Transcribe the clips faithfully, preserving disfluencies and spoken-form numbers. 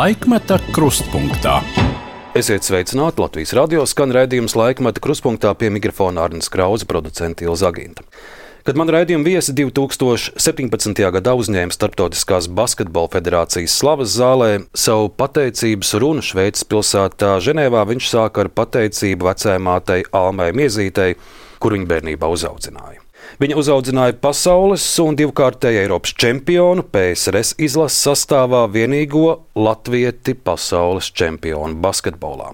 Laikmeta krustpunktā. Esiet sveicināti, Latvijas radio skan raidījums Laikmeta krustpunktā, pie mikrofona Arnis Krauze, producente Ilza Aginta. Kad man raidījuma viesi divi tūkstoši septiņpadsmitajā gadā uzņēma Starptautiskās basketbola federācijas slavas zālē, savu pateicības runu Šveices pilsētā Ženēvā viņš sāka ar pateicību vecajai mātei Almai Miezītei, kur viņa bērnībā uzaudzināja. Viņa uzaudzināja pasaules un divkārtēju Eiropas čempionu, P S R S izlases sastāvā vienīgo latvieti pasaules čempionu basketbolā.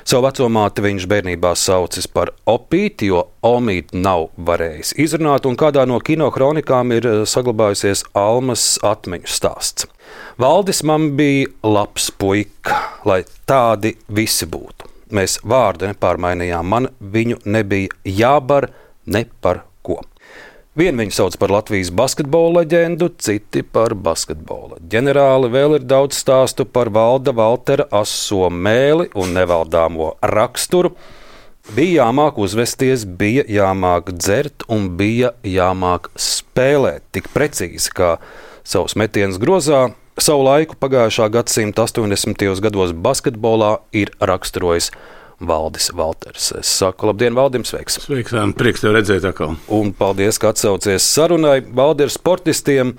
Savu vecomāti viņš bērnībā saucis par Opīti, jo Omīti nav varējis izrunāt, un kādā no kino kronikām ir saglabājusies Almas atmiņu stāsts. Valdis man bija labs puika, lai tādi visi būtu. Mēs vārdu nepārmainījām, man viņu nebija jābar ne par ko. Vien viņu sauc par Latvijas basketbola leģendu, citi par basketbola ģenerāli. Vēl ir daudz stāstu par Valda Valtera aso mēli un nevaldāmo raksturu. Bija jāmāk uzvesties, bija jāmāk dzert un bija jāmāk spēlēt tik precīzi, kā savus metienus grozā. Savu laiku pagājušā gadsimta astoņdesmitajos gados basketbolā ir raksturojis Valdis Valters. Es saku, labdien, Valdim, sveiks! Sveiks, prieks tev redzēt atkal. Un paldies, ka atsaucies sarunai. Valdi, ar sportistiem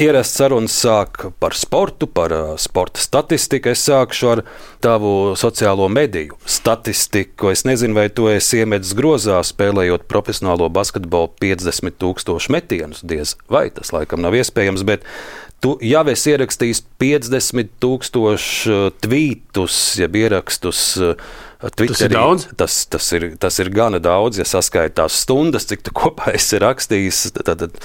ierasts sarunas sāk par sportu, par uh, sporta statistiku. Es sākšu ar tavu sociālo mediju statistiku. Es nezinu, vai tu esi iemetis grozā, spēlējot profesionālo basketbolu piecdesmit tūkstošu metienus. Diez vai tas laikam nav iespējams, bet tu jau esi ierakstījis piecdesmit tūkstošu tvītus, jeb ierakstus Twitterī. Tas ir daudz? Tas, tas, ir, tas ir gana daudz, ja saskaitās stundas, cik tu kopā esi rakstījis. Tad, tad,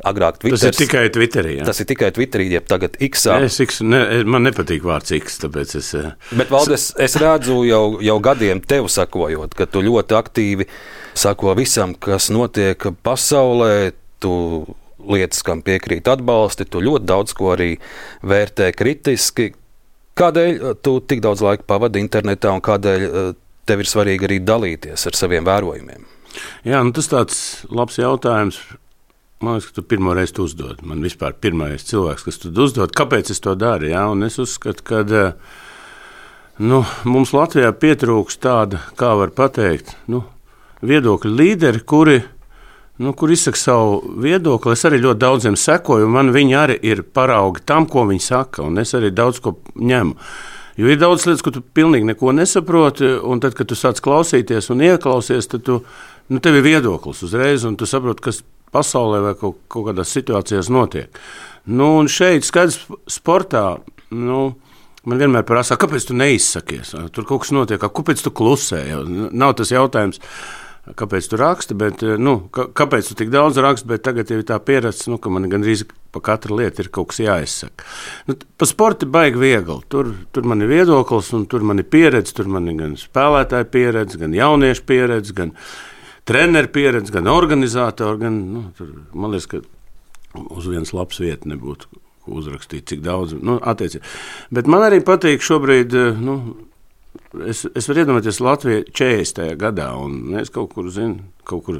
agrāk Twitters, tas ir tikai Twitterī. Ja? Tas ir tikai Twitterī, jeb tagad X-ā. Es, X ne, man nepatīk vārds X, tāpēc es... Bet, Valdes, es redzu jau, jau gadiem tev sakojot, ka tu ļoti aktīvi sako visam, kas notiek pasaulē. Tu lietas, kam piekrīt atbalsti, tu ļoti daudz ko arī vērtē kritiski. Kādēļ tu tik daudz laika pavadi internetā un kādēļ tev ir svarīgi arī dalīties ar saviem vērojumiem? Jā, nu tas tāds labs jautājums. Man liekas, ka tu pirmo reizi tu uzdod. Man vispār pirmais cilvēks, kas tu uzdod, kāpēc es to daru. Jā? Un es uzskatu, ka nu, mums Latvijā pietrūks tāda, kā var pateikt, nu, viedokļu līderi, kuri Nu, kur izsaka savu viedokli. Es arī ļoti daudziem sekoju, un man viņi arī ir paraugi tam, ko viņi saka, un es arī daudz ko ņemu. Jo ir daudz lietas, ko tu pilnīgi neko nesaproti, un tad, kad tu sāc klausīties un ieklausies, tad tu, nu, tev ir viedoklis uzreiz, un tu saproti, kas pasaulē vai kaut, kaut kādās situācijās notiek. Nu, un šeit skaidrs sportā, nu, man vienmēr prasa, kāpēc tu neizsakies? Tur kaut kas notiek, kāpēc tu klusē? Nav tas jautājums, kāpēc tu raksti, bet, nu, kāpēc tu tik daudz raksti, bet tagad jau ir tā pieredze, nu, ka man gandrīz pa katru lietu ir kaut kas jāizsaka. Nu, pa sporti baigi viegli. Tur, tur man ir viedoklis, un tur man ir pieredze, tur man ir gan spēlētāja pieredze, gan jauniešu pieredze, gan treneru pieredze, gan organizātori, gan, nu, tur, man liekas, ka uz vienas labas vietas nebūtu uzrakstīt, cik daudz, nu, attiecīgi. Bet man arī patīk šobrīd, nu, Es, es varu iedomāties Latviju četrdesmitajā gadā, un mēs kaut kur, zinu, kaut kur,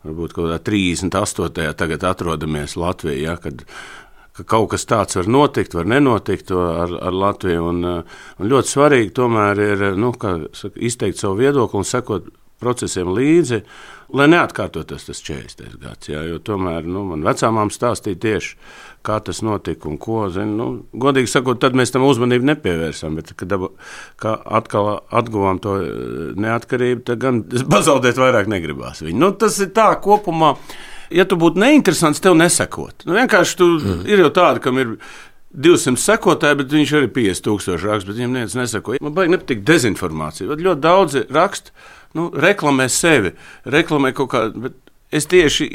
varbūt kaut kādā trīsdesmit astotajā tagad atrodamies Latvijā, ja, kad ka kaut kas tāds var notikt, var nenotikt ar, ar Latviju, un, un ļoti svarīgi tomēr ir, nu, kā saka, izteikt savu viedokli un sekot procesiem līdzi, lai neatkārtotos tas četrdesmitais gads, jā, jo tomēr, nu, man vecāmām stāstīja tieši, kā tas notika un ko, zinu, nu, godīgi sakot, tad mēs tam uzmanību nepievērsām, bet, kad kā atkal atguvām to neatkarību, tad gan pazaudēt vairāk negribās viņu. Nu, tas ir tā kopumā, ja tu būtu neinteresants, tev nesakot. Nu, vienkārši tu mm. ir jau tāda, kam ir divsimt sekotāji, bet viņš arī piecdesmit tūkstoši raksta, bet viņam neviens nesako. Man baigi nepatīk dezinformācija. Ļoti daudzi raksta, nu, reklamē sevi, reklamē kaut kādu, bet es tieši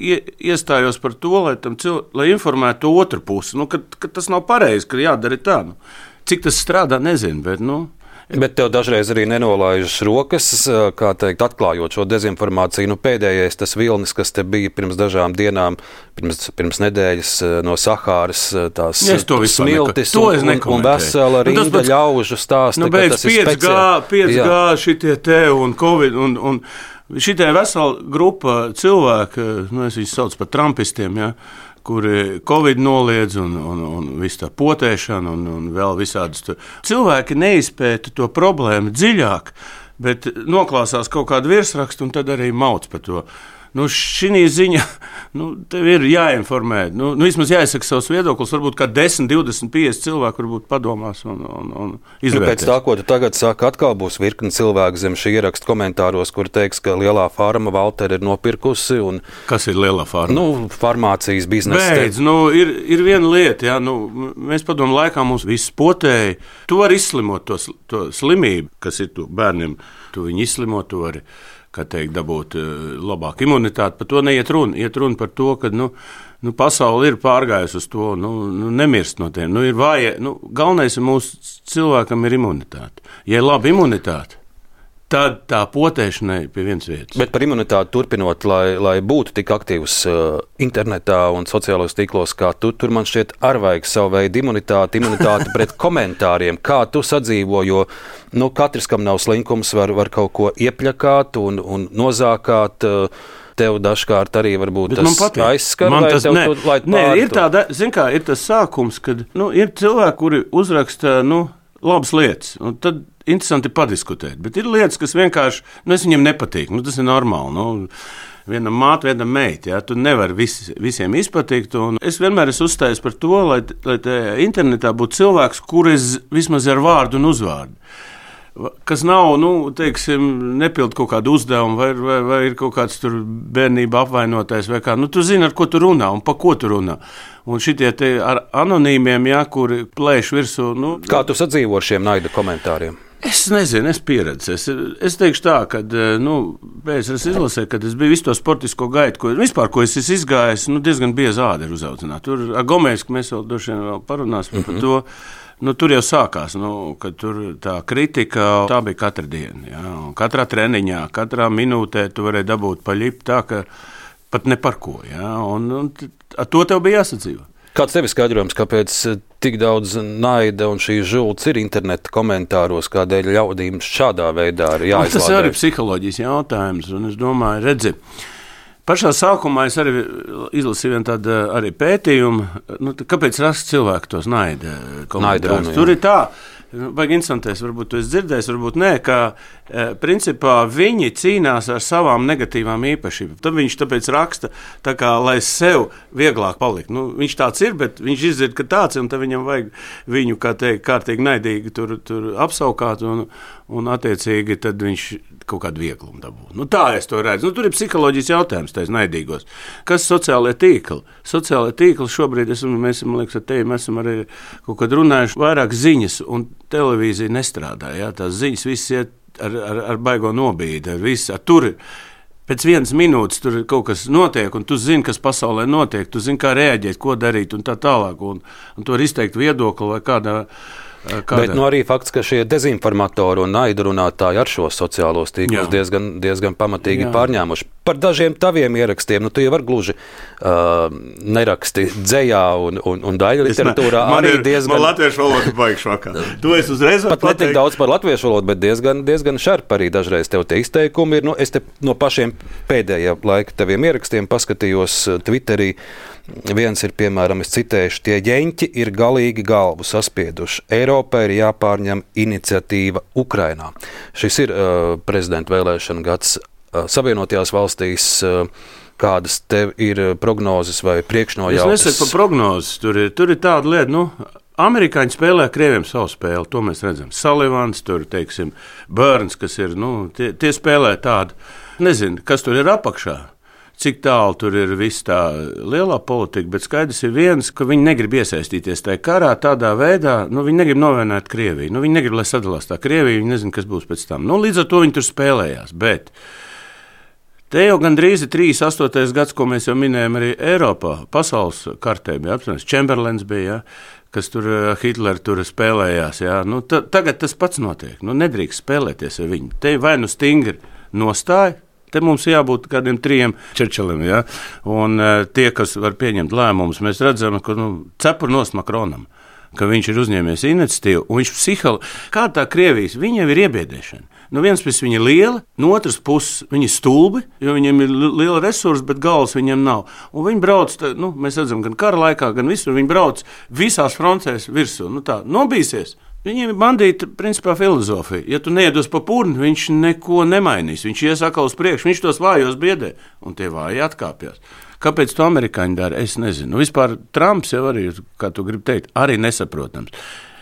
iestājos par to, lai, tam cil... lai informētu otru pusi, nu, ka, ka tas nav pareizi, ka jādara tā. Nu. Cik tas strādā, nezinu, bet, nu, Bet tev dažreiz arī nenolaižas rokas, kā teikt, atklājot šo dezinformāciju. Nu, pēdējais tas vilnis, kas te bija pirms dažām dienām, pirms, pirms nedēļas no Sahāras, tās smiltis un, un, un vesela rinda nu, pats, ļaužu stāsta, nu, beidz, ka tas ir speciāli. pieci G šitie te un Covid un, un šitie vesela grupa cilvēku, nu, es viņus sauc par trumpistiem, ja, kuri Covid noliedz un, un, un visu tā potēšana un, un vēl visādas. Tu. Cilvēki neizpēta to problēmu dziļāk, bet noklāsās kaut kādu virsrakstu un tad arī mauc par to. Nu, šī ziņa, nu, tev ir jāinformē, nu, nu, vismaz jāizsaka savs viedoklis, varbūt kā desmit, divdesmit, piecdesmit cilvēki varbūt padomās un, un, un izvērtēs. Nu, pēc tā, ko tu tagad saka, atkal būs virkni cilvēku zem šī ieraksta komentāros, kur teiks, ka lielā farma Valteri ir nopirkusi. Un, kas ir lielā farma? Nu, farmācijas biznesa. Beidz, nu, ir, ir viena lieta, jā, nu, mēs padomu laikā mums viss potēja. Tu vari izslimot to, to slimību, kas ir tu bērniem, tu viņu izslimot, tu vari. Kā teikt, dabūt labāku imunitāti. Par to neiet runa. Iet runa par to, ka nu, nu, pasaule ir pārgājusi uz to, nu, nu, nemirst no tiem. Nu, ir vāja, nu, galvenais ir mūsu cilvēkam ir imunitāte. Ja ir laba imunitāte, tad tā potēšanai pie vienas vietas. Bet par imunitāti turpinot, lai, lai būtu tik aktīvs uh, internetā un sociālajos tīklos, kā tu, tur man šķiet ar vajag savu veidu imunitāti, imunitāti pret komentāriem. Kā tu sadzīvo, jo nu, katrs, kam nav slinkums, var, var kaut ko iepļakāt un, un nozākāt. Uh, Tev dažkārt arī varbūt bet tas aizskar, man vai tas, tev ne, tu laid ne, pāri? Ir tāda, zin kā, ir tas sākums, kad nu, ir cilvēki, kuri uzraksta nu, labas lietas, un tad interesanti padiskutēt, bet ir lietas, kas vienkārši, nu, es viņiem nepatīk, nu, tas ir normāli, nu, vienam māte, vienam meita, ja, tu nevari vis, visiem izpatikt, un es vienmēr esmu uzstājis par to, lai, lai internetā būtu cilvēks, kuris vismaz ar vārdu un uzvārdu. Kas nav, nu, teiksim, nepild kaut kādu uzdevumu, vai, vai, vai ir kaut kāds tur bērnība apvainotais, vai kā. Nu, tu zini, ar ko tu runā un pa ko tu runā. Un šitie te ar anonīmiem, jā, kuri plēš virsū. Nu, kā tu sadzīvo ar šiem naida komentāriem? Es nezinu, es pieredzu. Es, es teikšu tā, ka, nu, pēc es izlasēju, kad es biju visu to sportisko gaitu, ko, vispār, ko es esmu izgājis, nu, diezgan bieza āda ir uzaudzināt. Tur ar Gomēsku mēs vēl droši vien vēl parunāsim mm-hmm. par to. Nu, tur jau sākās, nu, kad tur tā kritika, tā bija katra diena. Ja? Katrā treniņā, katrā minūtē tu varēji dabūt paļipu tā, ka pat ne par ko. Ja? Un, un ar to tev bija jāsadzīvo. Kāds tev ir skaidrojums, kāpēc tik daudz naida un šīs žults ir interneta komentāros, kādēļ ļaudīm šādā veidā ir jāizlādē? Tas ir arī psiholoģijas jautājums, un es domāju, redzi, pašā sākumā es arī izlasīju vienu tādu arī pētījumu, nu, kāpēc rast cilvēku tos naida komentārus. Tur ir tā, vajag instantēs, varbūt tu esi dzirdējis, varbūt nē, ka e, principā viņi cīnās ar savām negatīvām īpašībām. Tad viņš tāpēc raksta, tā kā, lai sev vieglāk palikt. Nu, viņš tāds ir, bet viņš izdzird, ka tāds ir, un tad viņam vajag viņu, kā teikt, kārtīgi naidīgi tur, tur apsaukāt, un, un attiecīgi tad viņš kaut kādu vieglumu dabū. Nu, tā es to redzu. Nu, tur ir psiholoģijas jautājums, tais naidīgos. Kas sociālajie tīkli? Sociālajie tīkli šobrīd, esam, mēs, man liekas, ar tevi, mēs esam arī kaut kad runājuši vairāk ziņas, un televīzija nestrādā. Jā? Tās ziņas viss iet ar, ar, ar baigo nobīdi, ar visu. Ar tur pēc vienas minūtes tur kaut kas notiek, un tu zini, kas pasaulē notiek, tu zini, kā reaģēt, ko darīt, un tā tālāk, un, un to ir izteikt viedokli vai kādā. Kādā? Bet nu, arī fakts, ka šie dezinformatori un naidu runātāji ar šos sociālos tīklus diezgan, diezgan pamatīgi Jā. pārņēmuši. Par dažiem taviem ierakstiem, nu tu jau var gluži uh, neraksti dzejā un, un, un daļa literatūrā ne, arī ir, diezgan... Man latviešu valoda baigšu vakā. Tu esi uzreiz var pateikt. Pat netik daudz par latviešu valodu, bet diezgan, diezgan šarp arī dažreiz tev tie izteikumi ir. Nu, es te no pašiem pēdējā laika taviem ierakstiem paskatījos Twitterī. Viens ir, piemēram, es citēšu, tie ģeņķi ir galīgi galvu saspieduši. Eiropai ir jāpārņem iniciatīva Ukrainā. Šis ir uh, prezidenta vēlēšana gads uh, Savienotajās valstīs. Uh, kādas tev ir prognozes vai priekšnojautas? Es nesaku par prognozes. Tur ir, tur ir tāda lieta, nu, amerikāņi spēlē Krieviem savu spēli, to mēs redzam. Sullivans, tur, teiksim, Burns, kas ir, nu, tie, tie spēlē tādu, nezinu, kas tur ir apakšā. Cik tālu tur ir viss tā lielā politika, bet skaidrs ir viens, ka viņi negrib iesaistīties tajā karā tādā veidā, nu viņi negrib novienāt Krieviju, nu viņi negrib, lai sadalās tā Krievija, viņi nezin, kas būs pēc tam. Nu līdz ar to viņi tur spēlējās, bet te jau gandrīz ir trīsdesmit astotais gads, ko mēs jau minējam arī Eiropā, pasaules kartē bija apspriests, Čemberlens bija, ja, kas tur Hitler tur spēlējās, ja. Nu, ta, tagad tas pats notiek, nu nedrīkst spēlēties ar viņu, te vai nu stingri nostāja. Te mums jābūt kādiem trijiem Čerčiliem, ja? Un uh, tie, kas var pieņemt lēmumus, mēs redzam, ka nu, cepur nost Makronam, ka viņš ir uzņēmies iniciatīvu, un viņš psiholoģiski, kā tā Krievijas, viņa jau ir iebiedēšana. no vienas puses viņi ir lieli, no otras puses viņi ir stulbi, jo viņiem ir liela resursa, bet galvas viņiem nav. Un viņi brauc, nu, mēs redzam, gan kara laikā, gan visur, viņi brauc visās frontēs virsū. Nu tā, nobīsies. Viņiem ir bandīta, principā, filozofija. Ja tu neiedos pa purni, viņš neko nemainīs. Viņš ies atkal uz priekšu, viņš tos vājos biedē, un tie vāji atkāpjas. Kāpēc to amerikāņi dara, es nezinu. Nu, vispār Trumps jau arī, kā tu gribi teikt, arī nesaprotams.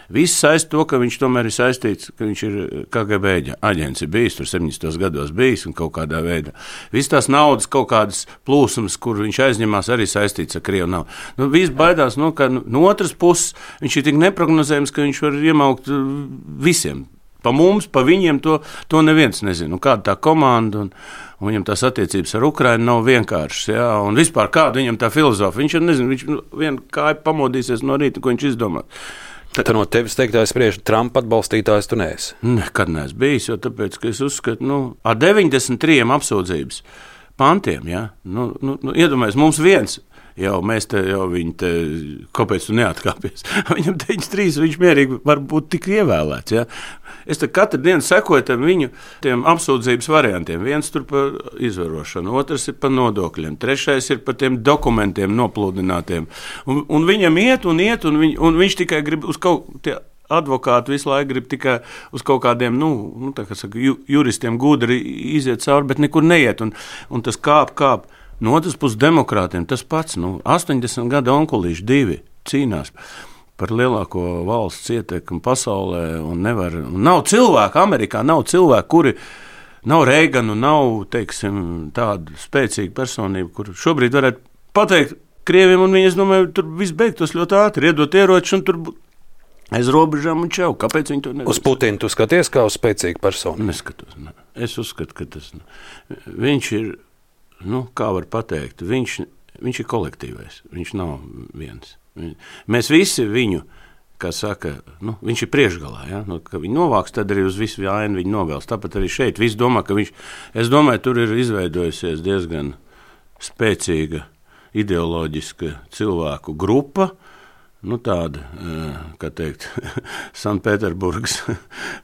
Viss saist to, ka viņš tomēr ir saistīts, ka viņš ir K G B aģents, ir bijis, tur septiņdesmitos gados bijis un kaut kādā veidā. Viss tās naudas, kaut kādas plūsmas, kur viņš aizņemās, arī saistīts ar Krievu naudu. Nu, viss baidās, nu, ka no otras puses viņš ir tik neprognozējams, ka viņš var iemaukt visiem. Pa mums, pa viņiem to, to neviens nezina. Un kāda tā komanda un, un viņam tās attiecības ar Ukrainu nav vienkāršas. Ja? Un vispār kāda viņam tā filozofija. Viņš jau nezina, viņš vien kāju pamodīsies no rīta, ko viņš izdomā. Tad no tevis teiktājs spriež, Trumpa atbalstītājs tu neesi? Nekad neesmu bijis, jo tāpēc, ka es uzskatu, nu, ar deviņdesmit trīs apsūdzības pantiem, ja? nu, nu, nu, iedomājies, mums viens, jau mēs te, jau viņi te, kāpēc tu neatkāpies? Viņam deviņdesmit trīs, viņš mierīgi var būt tik ievēlēts, ja? Es te katru dienu sekoju tam viņu tiem apsūdzības variantiem. Viens tur par izvarošanu, otrs ir par nodokļiem, trešais ir par tiem dokumentiem noplūdinātiem. Un, un viņam iet un iet, un, viņ, un viņš tikai grib uz kaut tie advokāti visu laiku grib tikai uz kaut kādiem, nu, nu tā kā saka, ju, juristiem gudri iziet cauri, bet nekur neiet, un, un tas kāp, kāp. No otras puses demokrātiem tas pats, nu, astoņdesmit gadu onkulīši divi cīnās par lielāko valsts ietekmi pasaulē, un nevar, un nav cilvēku, Amerikā nav cilvēku, kuri nav Reiganu, nav, teiksim, tāda spēcīga personība, kur šobrīd varētu pateikt Krieviem, un viņi, es domāju, tur viss beigtos ļoti ātri, iedot ieroči, un tur aiz robežām un čau. Kāpēc viņi to nevar? Uz Putinu tu skaties kā uz spēcīgu personu? Neskatos, ne. Es uzskatu, ka tas, viņš ir, nu, kā var pateikt, viņš, viņš ir kolektīvais, viņš nav viens. Mēs visi viņu, kā saka, nu, viņš ir priekšgalā, ja? Nu, ka viņi novāks, tad arī uz visu vainu viņi novēls. Tāpat arī šeit visi domā, ka viņš, es domāju, tur ir izveidojusies diezgan spēcīga ideoloģiska cilvēku grupa, nu tāda, kā teikt, Sanktpēterburgas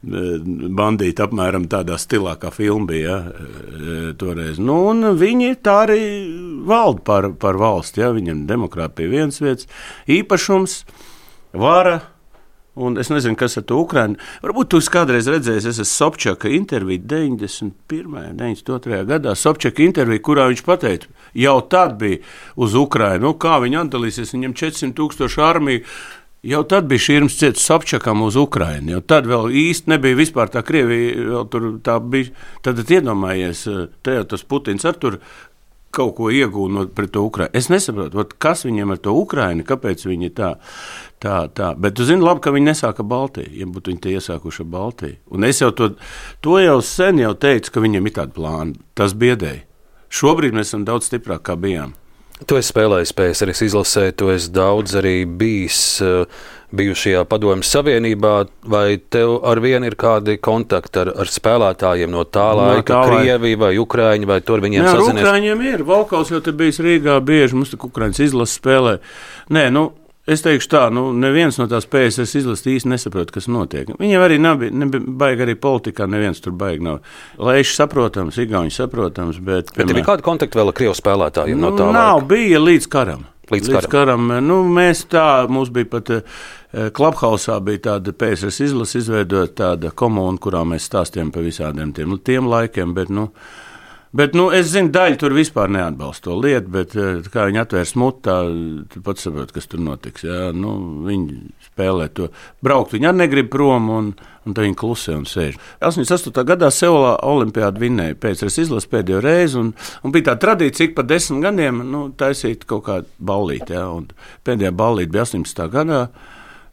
bandīti apmēram tādā stilā, kā filma bija, ja, toreiz. Nu, un viņi tā arī valda par, par valsti, ja, viņam demokrāti pie vienas vietas, īpašums, vara, un es nezinu, kas ar to Ukrainu. Varbūt tu kādreiz redzējis, es esmu Sobčaka interviju deviņdesmit pirmajā, deviņdesmit otrajā gadā, Sobčaka interviju, kurā viņš pateica, jau tad bija uz Ukrainu, nu, kā viņi atdalīsies, viņam četrsimt tūkstoši armiju, jau tad bija šķirms ciets Sobčakam uz Ukrainu, jau tad vēl īsti nebija vispār tā Krievija, vēl tur tā bija, tad iedomājies, te jau tas Putins ar tur kaut ko iegūnot pret to Ukrainu. Es nesaprotu, ot, kas viņiem ar to Ukrainu, kāpēc viņi tā, tā, tā. Bet tu zini labi, ka viņi nesāka Baltiju, ja būtu viņi te iesākuši Baltiju. Un es jau to, to jau sen jau teicu, ka viņiem ir tāda plāna. Tas biedēja. Šobrīd mēs esam daudz stiprāk, kā bijām. Tu esi spēlējis P S R S izlasē, tu esi daudz arī bijis bijušajā Padomju Savienībā, vai tev ar vienu ir kādi kontakti ar, ar spēlētājiem no tā laika, no Krievija vai Ukraiņa, vai tur viņiem Nē, sazinies? Nē, Ukraiņiem ir. Valkaus jau te bijis Rīgā bieži, mums tik Ukraiņas izlases spēlē. Nē, nu, es teikšu tā, nu, neviens no tās P S R S izlases īsti nesaprot, kas notiek. Viņiem arī nav, nebija baigi arī politikā, neviens tur baigi nav. Laiši saprotams, igauņi saprotams, bet... Bet ir kādi kontakti vēl ar Krievu spēlētājiem nu, no tā nav, laika? Bija līdz karam. Līdz, līdz karam. karam. Nu, mēs tā, mums bija pat Clubhausā bija tāda P S R S izlase izveidot tāda komuna, kurā mēs stāstījām par visādiem tiem, tiem laikiem, bet, nu, bet, nu, es zinu, daļa tur vispār neatbalsta to lietu, bet kā viņi atvērs mutu, tā, tu pats saprot, kas tur notiks, jā, nu, viņi spēlē to, braukt viņi arī negrib prom, un, un tad viņi klusē un sēž. astoņdesmit astotā gadā Seulā olimpiādu vinnēja P S R S izlase pēdējo reizi, un, un bija tā tradīcija, ik pa desmit gadiem, nu, taisīt kaut kādu ballīti, jā, un pēdējā ballīti bija astoņdesmitā gadā,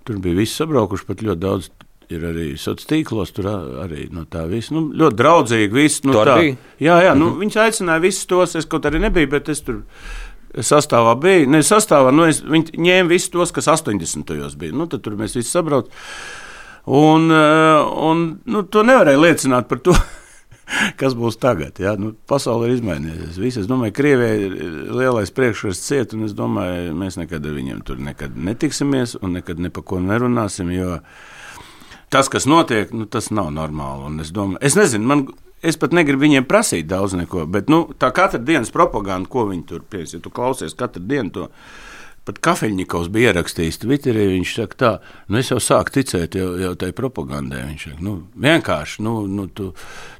tur bija visi sabraukuši, pat ļoti daudz ir arī sociālos tīklos, tur arī no tā viss, nu, ļoti draudzīgi viss. Nu, tā, jā, jā, nu, mm-hmm. Viņus aicināja visus tos, es kaut arī nebiju, bet es tur sastāvā biju, ne sastāvā, nu, es, viņi ņēma visus tos, kas astoņdesmitajos bija, nu, tad tur mēs visi sabrauc, un, un, nu, to nevarēja liecināt par to, kas būs tagad, jā, nu, pasaule ir izmainījusies, visi, es domāju, Krievijai ir lielais priekšrats ciet, un es domāju, mēs nekad ar viņiem tur nekad netiksimies, un nekad ne pa ko nerunāsim, jo tas, kas notiek, nu, tas nav normāli. Un es domāju, es nezinu, man, es pat negribu viņiem prasīt daudz neko, bet nu, tā katra dienas propaganda, ko viņi tur pies, ja tu klausies katru dienu to, pat Kafeļņikovs bija ierakstījis Twitterī, viņš saka tā, nu es jau sāku ticēt jau, jau tai propagandai, viņš saka, nu vienkārši, nu, nu tu,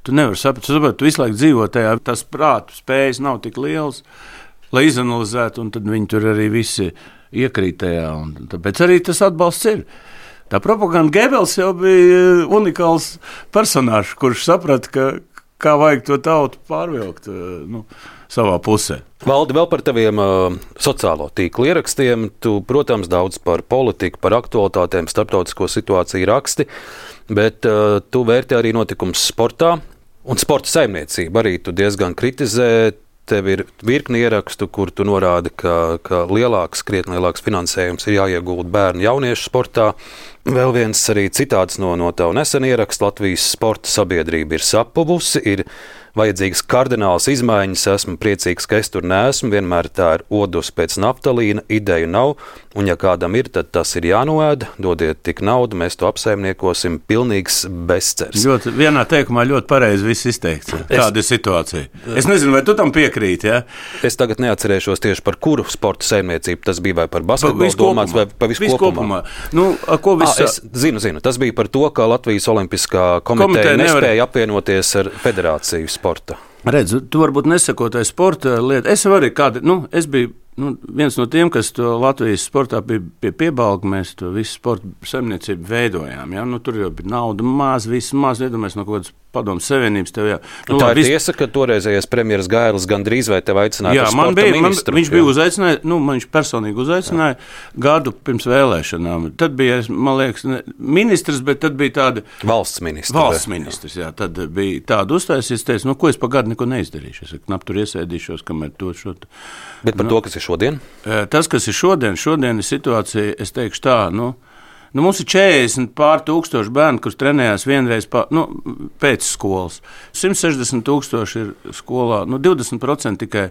tu nevari saprast, tu, saprat, tu visu laiku dzīvo tajā, tas prātu spējas nav tik liels, lai izanalizētu, un tad viņi tur arī visi iekrīt tajā, un tāpēc arī tas atbalsts ir. Tā propaganda Gebels jau bija unikāls personāžs, kurš saprata, ka kā vajag to tautu pārvilkt nu, savā pusē. Valdi, vēl par taviem uh, sociālo tīklu ierakstiem. Tu, protams, daudz par politiku, par aktualitātēm, starptautisko situāciju raksti, bet uh, tu vērti arī notikums sportā un sporta saimniecību. Arī tu diezgan kritizē. Tev ir virkni ierakstu, kur tu norādi, ka, ka lielāks, krietni lielāks finansējums ir jāiegulda bērnu jauniešu sportā. Vēl viens arī citāds no, no tavu nesenu ierakstu. Latvijas sporta sabiedrība ir sapuvusi, ir vajadzīgas kardinālas izmaiņas. Esmu priecīgs, ka es tur neesmu. Vienmēr tā ir odus pēc naftalīna, ideju nav. Un ja kādam ir, tad tas ir jānoēda. Dodiet tik naudu, mēs to apsaimniekosim. Pilnīgs bezcers. Ļoti, vienā teikumā ļoti pareizi viss izteikts. Kāda ir situācija? Es nezinu, vai tu tam piekrīti, ja? Es tagad neatcerēšos tieši par kuru sporta saimniecību tas bija, vai par basketbolu domāts, vai par visu kopumā. kopumā. Nu, ko viss... À, es zinu, zinu. Tas bija par to, ka Latvijas Olimpiskā komiteja, komiteja nespēja nevar... apvienoties ar federāciju sporta. Redz, tu varbūt nesakotāji sporta lietu. Es arī kādi, nu, es biju nu, viens no tiem, kas to Latvijas sportā bija pie piebalga, mēs to visu sporta saimniecību veidojām. Ja? Nu, tur jau bija nauda maz, viss maz, iedomājies no kaut kādas padomu savienības tev, jā. Nu, tā ir vis... tiesa, ka toreizējais premjeras Gailis gandrīz vai tev aicināja uz sporta bija, ministru. Man, viņš bija uzaicinājis, nu, man viņš personīgi uzaicināja jā. Gadu pirms vēlēšanām. Tad bija, man liekas, ne, ministrs, bet tad bija tāda... Valsts ministrs. Valsts ministrs, jā. Tad bija tāda uzstājusies, teicu, nu, ko es pa gadu neko neizdarīšu. Es knap tur iesēdīšos, kamēr to šo... Bet par nu, to, kas ir šodien? Tas, kas ir šodien, šodien ir situācija, es teikšu tā, nu, Nu, mums ir četrdesmit pār tūkstoši bērnu, kurš trenējās vienreiz pa, nu, pēc skolas. simt sešdesmit tūkstoši ir skolā, nu, divdesmit procenti tikai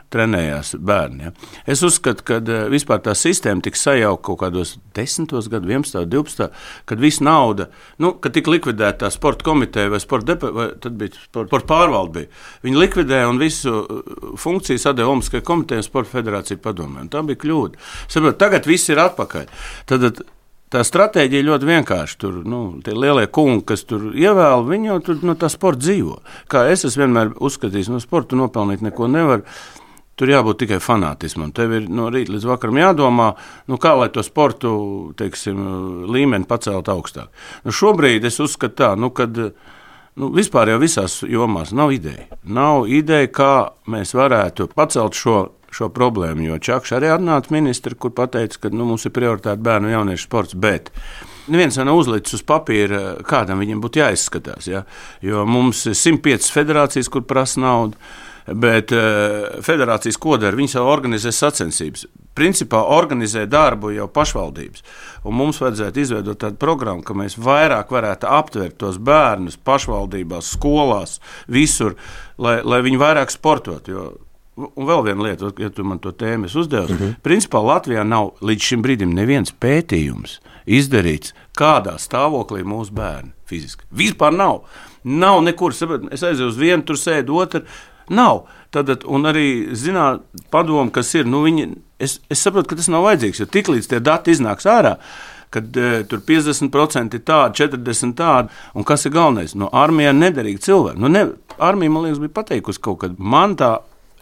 trenējās bērni. Ja. Es uzskatu, ka vispār tā sistēma tika sajauka kaut kādos desmitos gadu, vienpadsmitos, divpadsmitos, kad viss nauda, nu, kad tika likvidēta tā sporta komiteja vai sporta depa, vai tad bija sporta, sporta pārvalde bija. Viņi likvidēja un visu funkciju sadēja Olimpiskajai komitejai un sporta federāciju padomē. Un tā bija kļūda. Saprot, tagad viss ir atpakaļ. Tad tā stratēģija ļoti vienkārši. Tur, nu, tie lielie kungi, kas tur ievēl, viņi jau tur no tā sporta dzīvo. Kā es esmu vienmēr uzskatījis, no sporta nopelnīt neko nevar. Tur jābūt tikai fanātismam. Tev ir no rīta līdz vakaram jādomā, nu, kā lai to sportu, teiksim, līmeni pacelt augstāk. Nu, šobrīd es uzskatu tā, nu, kad nu, vispār jau visās jomās nav ideja. Nav ideja, kā mēs varētu pacelt šo šo problēmu, jo Čakš arī atnāca ministri, kur pateica, ka nu, mums ir prioritāte bērnu un jauniešu sports, bet neviens nav uzlicis uz papīra, kādam viņam būtu jāizskatās, ja? Jo mums ir simt piecas federācijas, kur prasa naudu, bet uh, federācijas ko dara? Viņas jau organizē sacensības. Principā organizē darbu jau pašvaldības, un mums vajadzētu izveidot tādu programmu, ka mēs vairāk varētu aptvert tos bērnus pašvaldībās, skolās, visur, lai, lai viņi vairāk sportot, jo un vēl viena lieta, ja tu man to tēmu uzdevi, mm-hmm. principā Latvijā nav līdz šim brīdim neviens pētījums izdarīts, kādā stāvoklī mūsu bērni fiziski. Vispār nav. Nav nekur. Es aizēju uz vienu, tur sēdu otru. Nav. Tad, un arī zināt padomu, kas ir, nu viņi, es, es saprotu, ka tas nav vajadzīgs, jo tiklīdz tie dati iznāks ārā, kad uh, tur piecdesmit procenti ir tādi, četrdesmit tādi, un kas ir galvenais? No armijā nederīgi cilvēki. Nu, ne, armija, man liekas, bija pateikusi kaut kad. Man tā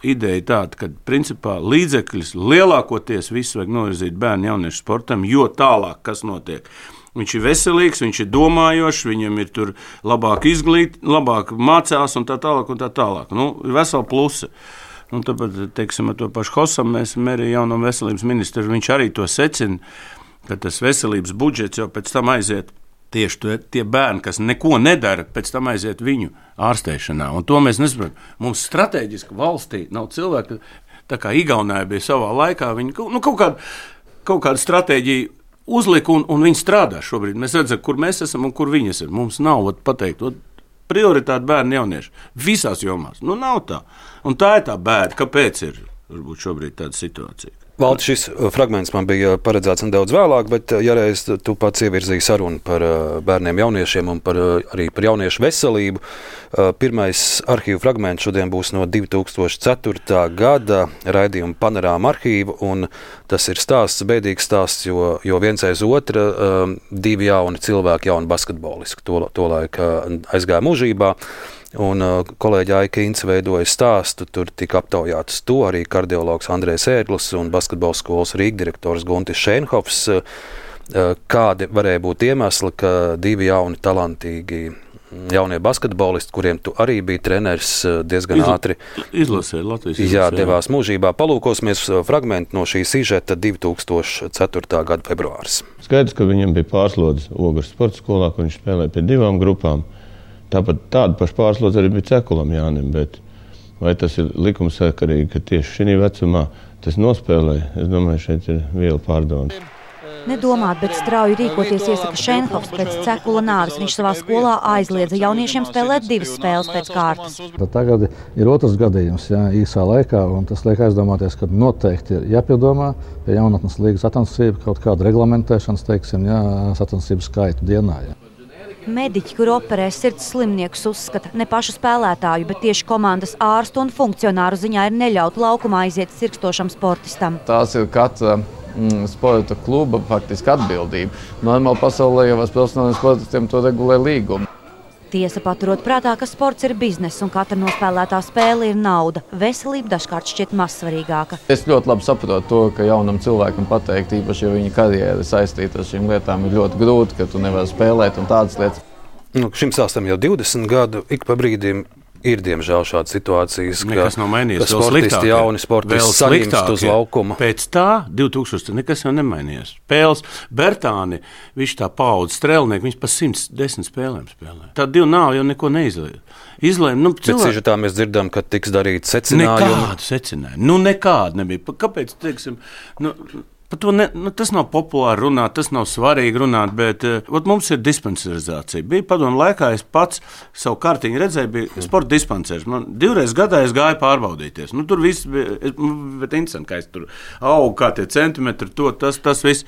ideja tāda, ka principā līdzekļus lielākoties visu vajag novirzīt bērnu jauniešu sportam, jo tālāk, kas notiek. Viņš ir veselīgs, viņš ir domājošs, viņam ir tur labāk izglīt, labāk mācās un tā tālāk un tā tālāk. Nu, ir vesela plusa. Un tāpēc, teiksim, ar to pašu Hosam mēs arī jaunam veselības ministru, viņš arī to secina, ka tas veselības budžets jau pēc tam aiziet tieši to, tie bērni, kas neko nedara, pēc tam aiziet viņu ārstēšanā. Un to mēs nesaprotam. Mums strateģiski valstī nav cilvēki, tā kā Igaunijā bija savā laikā, viņi nu, kaut kādu, kaut kādu stratēģiju uzlika un, un viņi strādā šobrīd. Mēs redzam, kur mēs esam un kur viņi esam. Mums nav ot, pateikt, ot, prioritāte bērni jaunieši. Visās jomās. Nu, nav tā. Un tā ir tā bēda. Kāpēc ir varbūt šobrīd tāda situācija? Valdi, šis fragments man bija paredzēts nedaudz vēlāk, bet ja reiz tu pats ievirzīji sarunu par bērniem, jauniešiem un par, arī par jauniešu veselību. Pirmais arhīvu fragments šodien būs no divi tūkstoši ceturtā gada raidījuma Panorāma arhīva, un tas ir stāsts, bēdīgs stāsts, jo, jo viens aiz otra divi jauni cilvēki, jauni basketbolisti, to, to laika aizgāja mūžībā. Un uh, kolēģi Aika Ince veidoja stāstu, tur tika aptaujāts to arī kardiologs Andrejs Ērglis un basketbola skolas Rīga direktors Guntis Šeinhofs. Uh, kādi varēja būt iemesli, ka divi jauni talantīgi jaunie basketbolisti, kuriem tu arī biji treneris, diezgan Izla, ātri izlasēja Latvijas izlasē, jā, devās mūžībā. Palūkosimies fragmentu no šī sižeta divi tūkstoši ceturtā gada februāris. Skaidrs, ka viņam bija pārslodze Ogres sporta skolā, kur viņš spēlēja pie divām grupām. Tāpat tāda paša pārslodze arī bija Cekulam Jānim, bet vai tas ir likumsakarīgi, ka tieši šī vecumā tas nospēlēja? Es domāju, šeit ir viela pārdomas. Nedomāt, bet strauji rīkoties iesaka Šeinhofs pēc Cekula nāves. Viņš savā skolā aizliedza jauniešiem spēlēt divas spēles pēc kārtas. Tagad ir otrs gadījums, jā, īsā laikā, un tas liek aizdomāties, ka noteikti ir jāpiedomā pie jaunatnes līgas sacensību, kaut kāda reglamentēšanas, teiksim, jā, sacensību skaitu dienā. Jā. Mediķi, kur operē sirds slimniekus, uzskata ne pašu spēlētāju, bet tieši komandas ārstu un funkcionāru ziņā ir neļaut laukumā aiziet sirkstošam sportistam. Tās ir katra mm, sporta kluba faktiski atbildība. Normāli pasaulē jau profesionāliem sportistiem to regulē līguma. Tiesa paturot prātā, ka sports ir biznes un katra nospēlētā spēle ir nauda. Veselība dažkārt šķiet mazsvarīgāka. Es ļoti labi saprotu to, ka jaunam cilvēkam pateikt, īpaši, ja viņa karjera ir saistīta ar šīm lietām, ir ļoti grūti, ka tu nevari spēlēt un tādas lietas. Nu, šim stāstam jau divdesmit gadu, ik pa brīdim ir diemžēl šādas situācijas, ka, ka sportisti, jauni sportisti saņemst uz laukuma. Pēc tā, divi tūkstoši, nekas jau nemainījās. Spēles, Bertāni, viņš tā paudze strēlnieki, viņš pa simts desmit spēlēm spēlē. Tā divi nav jau neko neizlēja. Izlēma, nu, cilvēki... Bet sižetā mēs dzirdam, ka tiks darīt secinājumi. Nekādu secinājumu. Nu, nekādu nebija. Kāpēc, teiksim, nu... Par to ne, nu, tas nav populāri runāt, tas nav svarīgi runāt, bet uh, mums ir dispensarizācija. Bija padomu laikā, es pats savu kārtiņu redzēju, bija sporta dispensaris. Man divreiz gadā es gāju pārbaudīties. Nu, tur viss bija, es, bet interesanti, kā es tur augu, kā tie centimetri, to, tas, tas viss.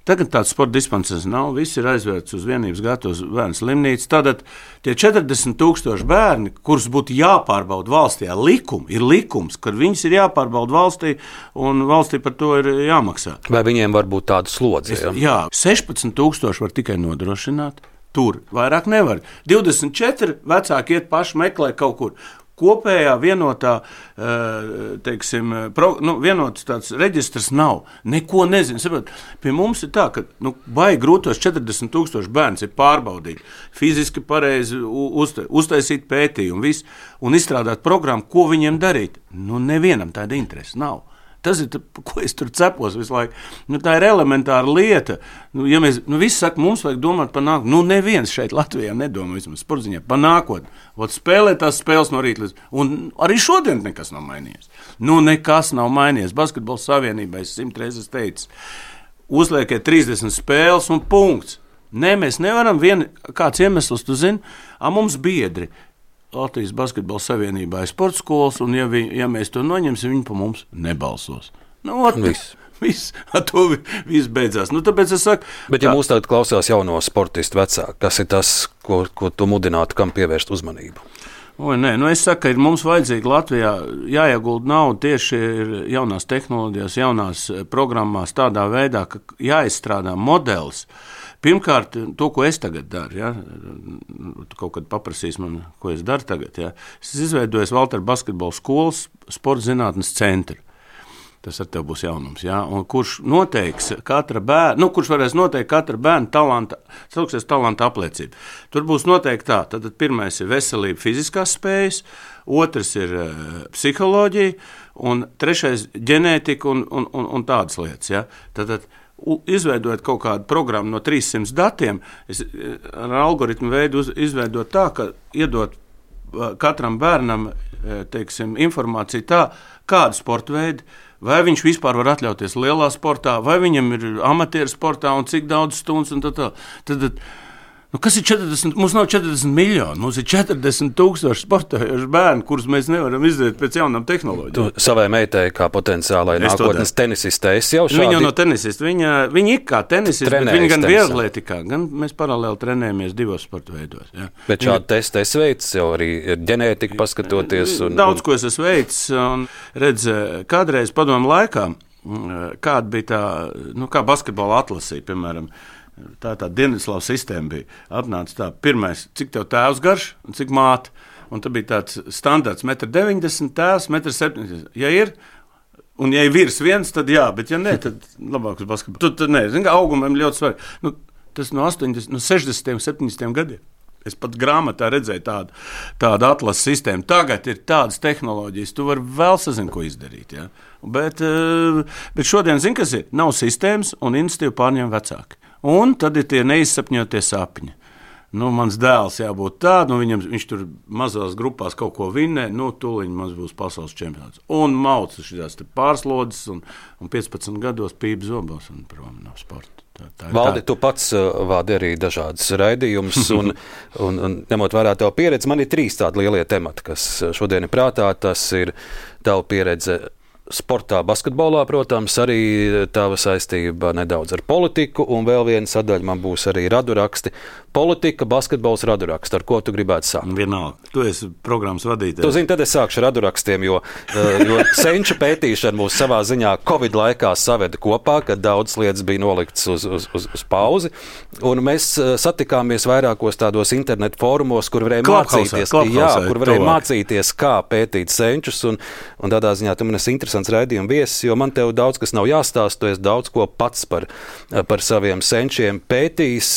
Tagad tāds sporta dispensaris nav, viss ir aizvērts uz vienības gadu uz bērnu slimnīcu. Tātad tie četrdesmit tūkstoši bērni, kurus būtu jāpārbauda valstī, jā, likumi, ir likums, ka viņus ir jāpārbauda valstī un valstī par to ir jāmaksā. Vai viņiem var būt tāda slodze? Jā, jā sešpadsmit tūkstoši var tikai nodrošināt, tur vairāk nevar. divdesmit četri vecāki iet paši meklē kaut kur. Kopējā vienotā, teiksim, pro, nu, vienots tāds reģistrs nav. Neko nezinu. Saprot, pie mums ir tā, ka nu, baigi grūtos četrdesmit tūkstoši bērns ir pārbaudīt, fiziski pareizi uzta, uztaisīt pētījumu visu, un izstrādāt programmu, ko viņiem darīt. Nu, nevienam tāda interese nav. Tas ir, ko es tur cepos visu laiku. Nu, tā ir elementāra lieta. Nu, ja mēs, nu, visi saka, mums vajag domāt par nākotni. Nu, neviens šeit Latvijā nedomā vismaz sportziņā par nākotni. Vot spēlē tās spēles no rīta līdz... Un arī šodien nekas nav mainījies. Nu, nekas nav mainījies. Basketbola savienībā es simt reizes teicu. Uzliekiet trīsdesmit spēles un punkts. Nē, mēs nevaram vien... Kāds iemesls, tu zini? A, mums biedri. Latvijas basketbola savienībā ir sporta skolas, un ja, vi, ja mēs to noņemsim, viņi pa mums nebalsos. Nu, ot, viss. Viss, ar to viss beidzās. Nu, tāpēc es saku... Bet ja tā... mūs tagad klausās jauno sportistu vecāku, kas ir tas, ko, ko tu mudinātu, kam pievērst uzmanību? Oi, nē, nu es saku, ka ir mums vajadzīgi Latvijā jāiegulda naudu tieši jaunās tehnoloģijās, jaunās programmās tādā veidā, ka jāizstrādā modelis. Pirmkārt, to, ko es tagad daru, ja, tu kaut kad paprasīs man, ko es daru tagad, ja, es izveidoju Valtera basketbola skolas sporta zinātnes centru. Tas ar tev būs jaunums, ja, un kurš noteiks katra bērna, nu, kurš varēs noteikt katra bērna talanta, sauksies talanta apliecība. Tur būs noteikti tā, tad pirmais ir veselība, fiziskās spējas, otrs ir uh, psiholoģija, un trešais ģenētika un, un, un, un tādas lietas, ja. Tad, tad izveidot kaut kādu programmu no trīssimts datiem, es ar algoritmu veidu uz, izveidot tā, ka iedot katram bērnam, teiksim, informāciju tā, kādu sporta veidu, vai viņš vispār var atļauties lielā sportā, vai viņam ir amatieru sportā un cik daudz stundas un tā tā. Tad, Nu, kas ir četrdesmit? Mums nav četrdesmit miljoni, mums ir četrdesmit tūkstoši sportējuši bērni, kurus mēs nevaram izdarīt pēc jaunām tehnoloģijām. Tu savai meitai kā potenciālai Es to nākotnes tenisistē, es jau šādi... Viņa jau no tenisista, viņa, viņa ir kā tenisista, bet Trenējas viņa gan tenisā. vieglatlētikā, gan mēs paralēli trenējamies divos sporta veidos. Jā. Bet šādi testi es veicu, jau arī ir ģenētika paskatoties. Un, Daudz, ko es esmu veicis, un redz, kādreiz padomu laikā, kāda bija tā, nu, kā basketbola atlasīja, piemēram, tā tā Dienvidslāvu sistēma bija. Atnāca tā, pirmais, cik tev tēvs garš un cik māte. Un tad bija tāds standarts, metrs deviņdesmit, tēvs, metrs septiņdesmit. Ja ir, un ja ir virs viens, tad jā, bet ja nē, tad labāk uz basketbolu. Tad, tad nē, zin, kā augumiem ļoti svarīgi. Nu, tas no astoņdesmit, no sešdesmit, septiņdesmit gadiem. Es pat grāmatā redzēju tādu, tādu atlases sistēmu. Tagad ir tādas tehnoloģijas, tu vari vēl sazin, ko izdarīt. Ja? Bet, bet šodien, zin, kas ir? Nav sistēmas un iniciatīvu pārņem vecāki. Un tad ir tie neizsapņotie sapņi. Nu, mans dēls jābūt tāds, nu, viņam, viņš tur mazās grupās kaut ko vinnē, nu, tūlīt mums būs pasaules čempions. Un mauca šīs pārslodzes, un, un piecpadsmit gados pīp zobos un prom no sporta. Tā, tā Valdi, tu pats uh, vādi arī dažādas raidījumus, un, un, un ņemot vērā tavu pieredzi, man ir trīs tādi lielie temati, kas šodien ir prātā. Tas ir tava pieredze sportā, basketbolā, protams, arī tava saistība nedaudz ar politiku, un vēl viena sadaļa man būs arī raduraksti. Politika, basketbols, raduraksti. Ar ko tu gribētu sākt? Vienalga. Tu esi programmas vadītājs. Tu zini, tad es sākšu ar radurakstiem, jo, jo senču pētīšana mūs savā ziņā Covid laikā saveda kopā, kad daudz lietas bija noliktas uz, uz, uz, uz pauzi, un mēs satikāmies vairākos tādos internetu fórumos, kur varēja mācīties, jā, kur varēja mācīties, kā pētīt senčus, un, un tādā ziņā tu man esi interesants raidījuma viesis, jo man tev daudz kas nav jāstāst, tu esi daudz ko pats par, par saviem senčiem pētījis.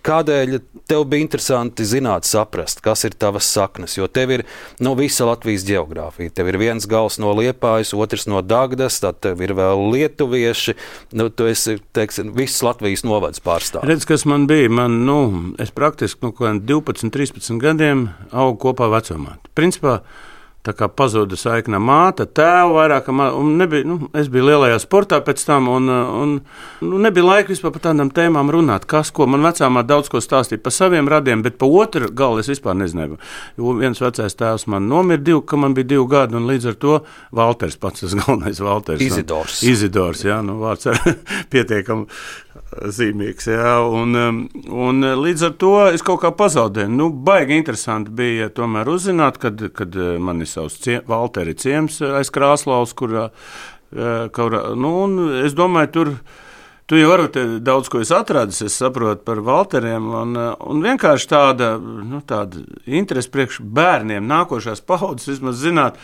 Kādēļ tev bija interesanti zināt, saprast, kas ir tavas saknes, jo tev ir nu, visa Latvijas ģeogrāfija. Tev ir viens gals no Liepājas, otrs no Dagdas, tad tev ir vēl lietuvieši. Nu, tu esi, teiksim, viss Latvijas novads pārstāv. Redz, kas man bija? Man, nu, es praktiski nu, divpadsmit, trīspadsmit gadiem augu kopā vecumā. Principā, tā kā pazuda saikna māte, tēva vairāk, un nebija, nu, es biju lielajā sportā pēc tam, un, un nu, nebija laika vispār par tādām tēmām runāt, kas, ko man vecāmā daudz ko stāstīja par saviem radiem, bet pa otru galu es vispār nezināju. Jo viens vecais tēvs man nomira divi, ka man bija divi gadi, un līdz ar to Valters pats, tas galvenais Valters. Izidors. Izidors, jā, nu vārds ar pietiekam zīmīgs, jā, un, un līdz ar to es kaut kā pazaudēju. Nu, baigi interesanti bija tomēr uzzināt, kad, kad man ir savs cie, Valteri ciems aiz Krāslaus, kur, kur, nu, un es domāju, tur, tu jau varat daudz ko es atradis, es saprotu par Valteriem, un, un vienkārši tāda, nu, tāda interese priekš bērniem, nākošās paudzes, vismaz zināt,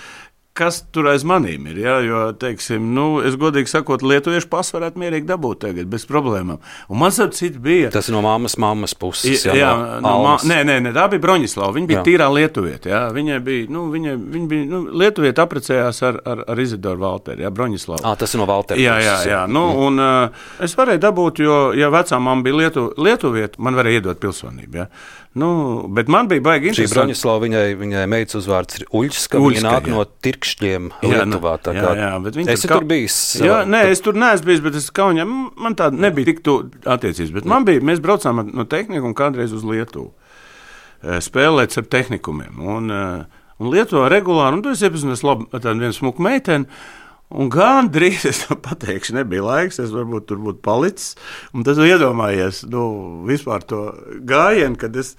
kas tur aiz manīm ir, ja? Jo, teiksim, nu, es godīgi sakot, lietuviešu pasu varētu mierīgi dabūt tagad, bez problēmām. Un man savu citu bija... Tas no mammas, mammas puses, jā, jā no, no ma... Nē, nē, nē, tā bija Broņislava, viņa bija jā. Tīrā lietuvieta, jā, viņai bija, nu, viņai, viņa bija, nu, lietuvieta aprecējās ar, ar, ar Izidoru Valteri, jā, Broņislava. Ā, tas ir no Valteri. Jā, jā, jā, nu, mm. un uh, es varēju dabūt, jo, ja vecā mamma bija lietu, lietuvieta, man varēja iedot pilsonību, jā. Nu, bet man bija baigi interesanti. Šī Broņislava, viņai, viņai meitas uzvārds ir Uļska, viņa nāk jā. No Tirkšķiem Lietuvā. Tā kā, jā, jā, bet esi ka... tur bijis? Jā, nē, es tur neesmu bijis, bet es Kaunijā, man tāda nebija tik tu attiecības, bet man bija, mēs braucām no tehnika un kādreiz uz Lietuvu spēlēt ar tehnikumiem. Un, un Lietuvā regulāri, un tu esi iepazinies labi ar tādu vienu smuku meiteni, un gan drīz, es pateikšu, nebija laiks, es varbūt tur būtu palicis, un tad iedomājies, nu, vispār to gājienu, kad es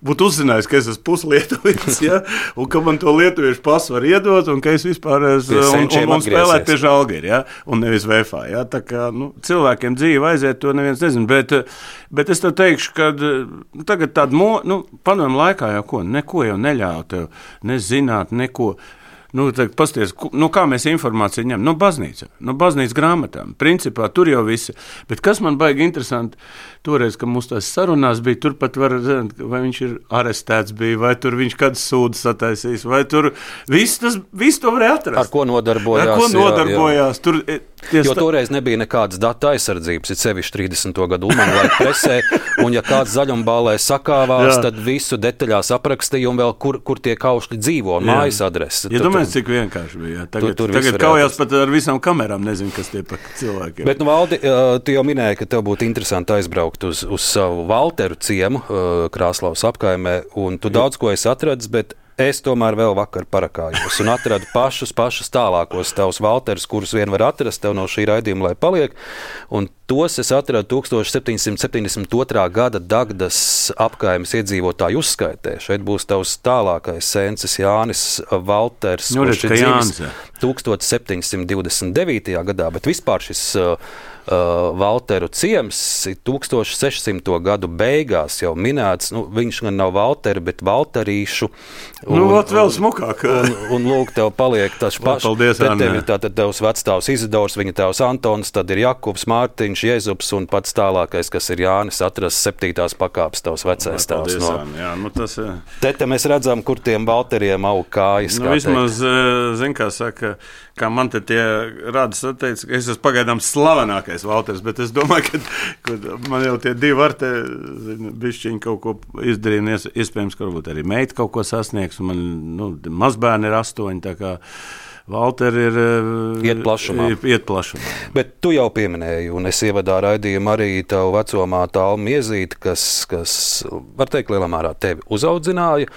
būtu uzzinājis, ka es esmu puslietuvietis, ja, un ka man to lietuviešu pasu var iedot, un ka es vispār es, un, un, un spēlēt pie Žalgiri, ja, un nevis V F A, ja, tā kā, nu, cilvēkiem dzīve aiziet, to neviens nezin, bet, bet es tev teikšu, ka tagad tāda, mo, nu, padomu laikā jau ko, neko jau neļauj tev, nezināt, neko. Nu, tagad pasties, nu, kā mēs informāciju ņem? No baznīca, no baznīcas grāmatām. Principā tur jau visi. Bet kas man baigi interesanti, toreiz, kad mums tās sarunās bija, tur pat var zināt, vai viņš ir arestēts bija, vai tur viņš kādas sūdzes sataisīs, vai tur viss tas, viss to varēja atrast. Ar ko nodarbojās. Ar ko nodarbojās. Jā, jā. Tur Ties jo toreiz nebija nekādas datu aizsardzības, it sevišķi trīsdesmito gadu Ulmanu laika presē, un ja kāds zaļumbālē sakāvās, jā. Tad visu detaļās aprakstīja un vēl kur, kur tie kaušļi dzīvo, un mājas adrese. Ja domājies, cik vienkārši bija. Tagad, tur, tur tagad kaujās pat ar visām kamerām, nezinu, kas tie pa cilvēkiem. Bet, nu, Valdi, tu jau minēji, ka tev būtu interesanti aizbraukt uz, uz savu Valteru ciemu Krāslavas apkaimē, un tu daudz ko esi atradis, bet es tomēr vēl vakar parakājos un atradu pašus, pašus tālākos tavus Valterus, kurus vien var atrast tev no šī raidījuma, lai paliek. Un tos es atradu tūkstoš septiņsimt septiņdesmit otrā gada Dagdas apkaimes iedzīvotāju uzskaitē. Šeit būs tavs tālākais sencis Jānis Valters, nu, kurš ir dzimis tūkstoš septiņsimt divdesmit devītajā gadā, bet vispār šis uh, Uh, Valteru ciems tūkstoš sešsimto gadu beigās jau minēts. Nu, viņš gan nav Valteri, bet Valterīšu. Un, nu, vēl smukāk. Un, un, un lūk, tev paliek tas pašs. Tev ir tātad tevs vectāvs Izidors, viņa tevs Antons, tad ir Jakubs, Mārtiņš, Jezups un pats tālākais, kas ir Jānis, atrast septītās pakāpes tavs vecais tēvs. No. Jā, nu tas, te, te mēs redzam, kur tiem Valteriem aug kājas. Nu, vismaz, zin, kā saka, kā man te tie rādas atteica, ka es esmu pagaidām slavenākais Valters, bet es domāju, ka, ka man jau tie divi var te bišķiņi kaut ko izdarīt, un iespējams, ka varbūt arī meita kaut ko sasniegs, un man, nu, mazbērni ir astoņi, tā kā Valteri ir iet plašumā. iet plašumā. Bet tu jau pieminēji, un es ievadā raidījumu arī tavu vecomātu Almu Iezīti, kas, kas, var teikt, lielā mērā tevi uzaudzināja.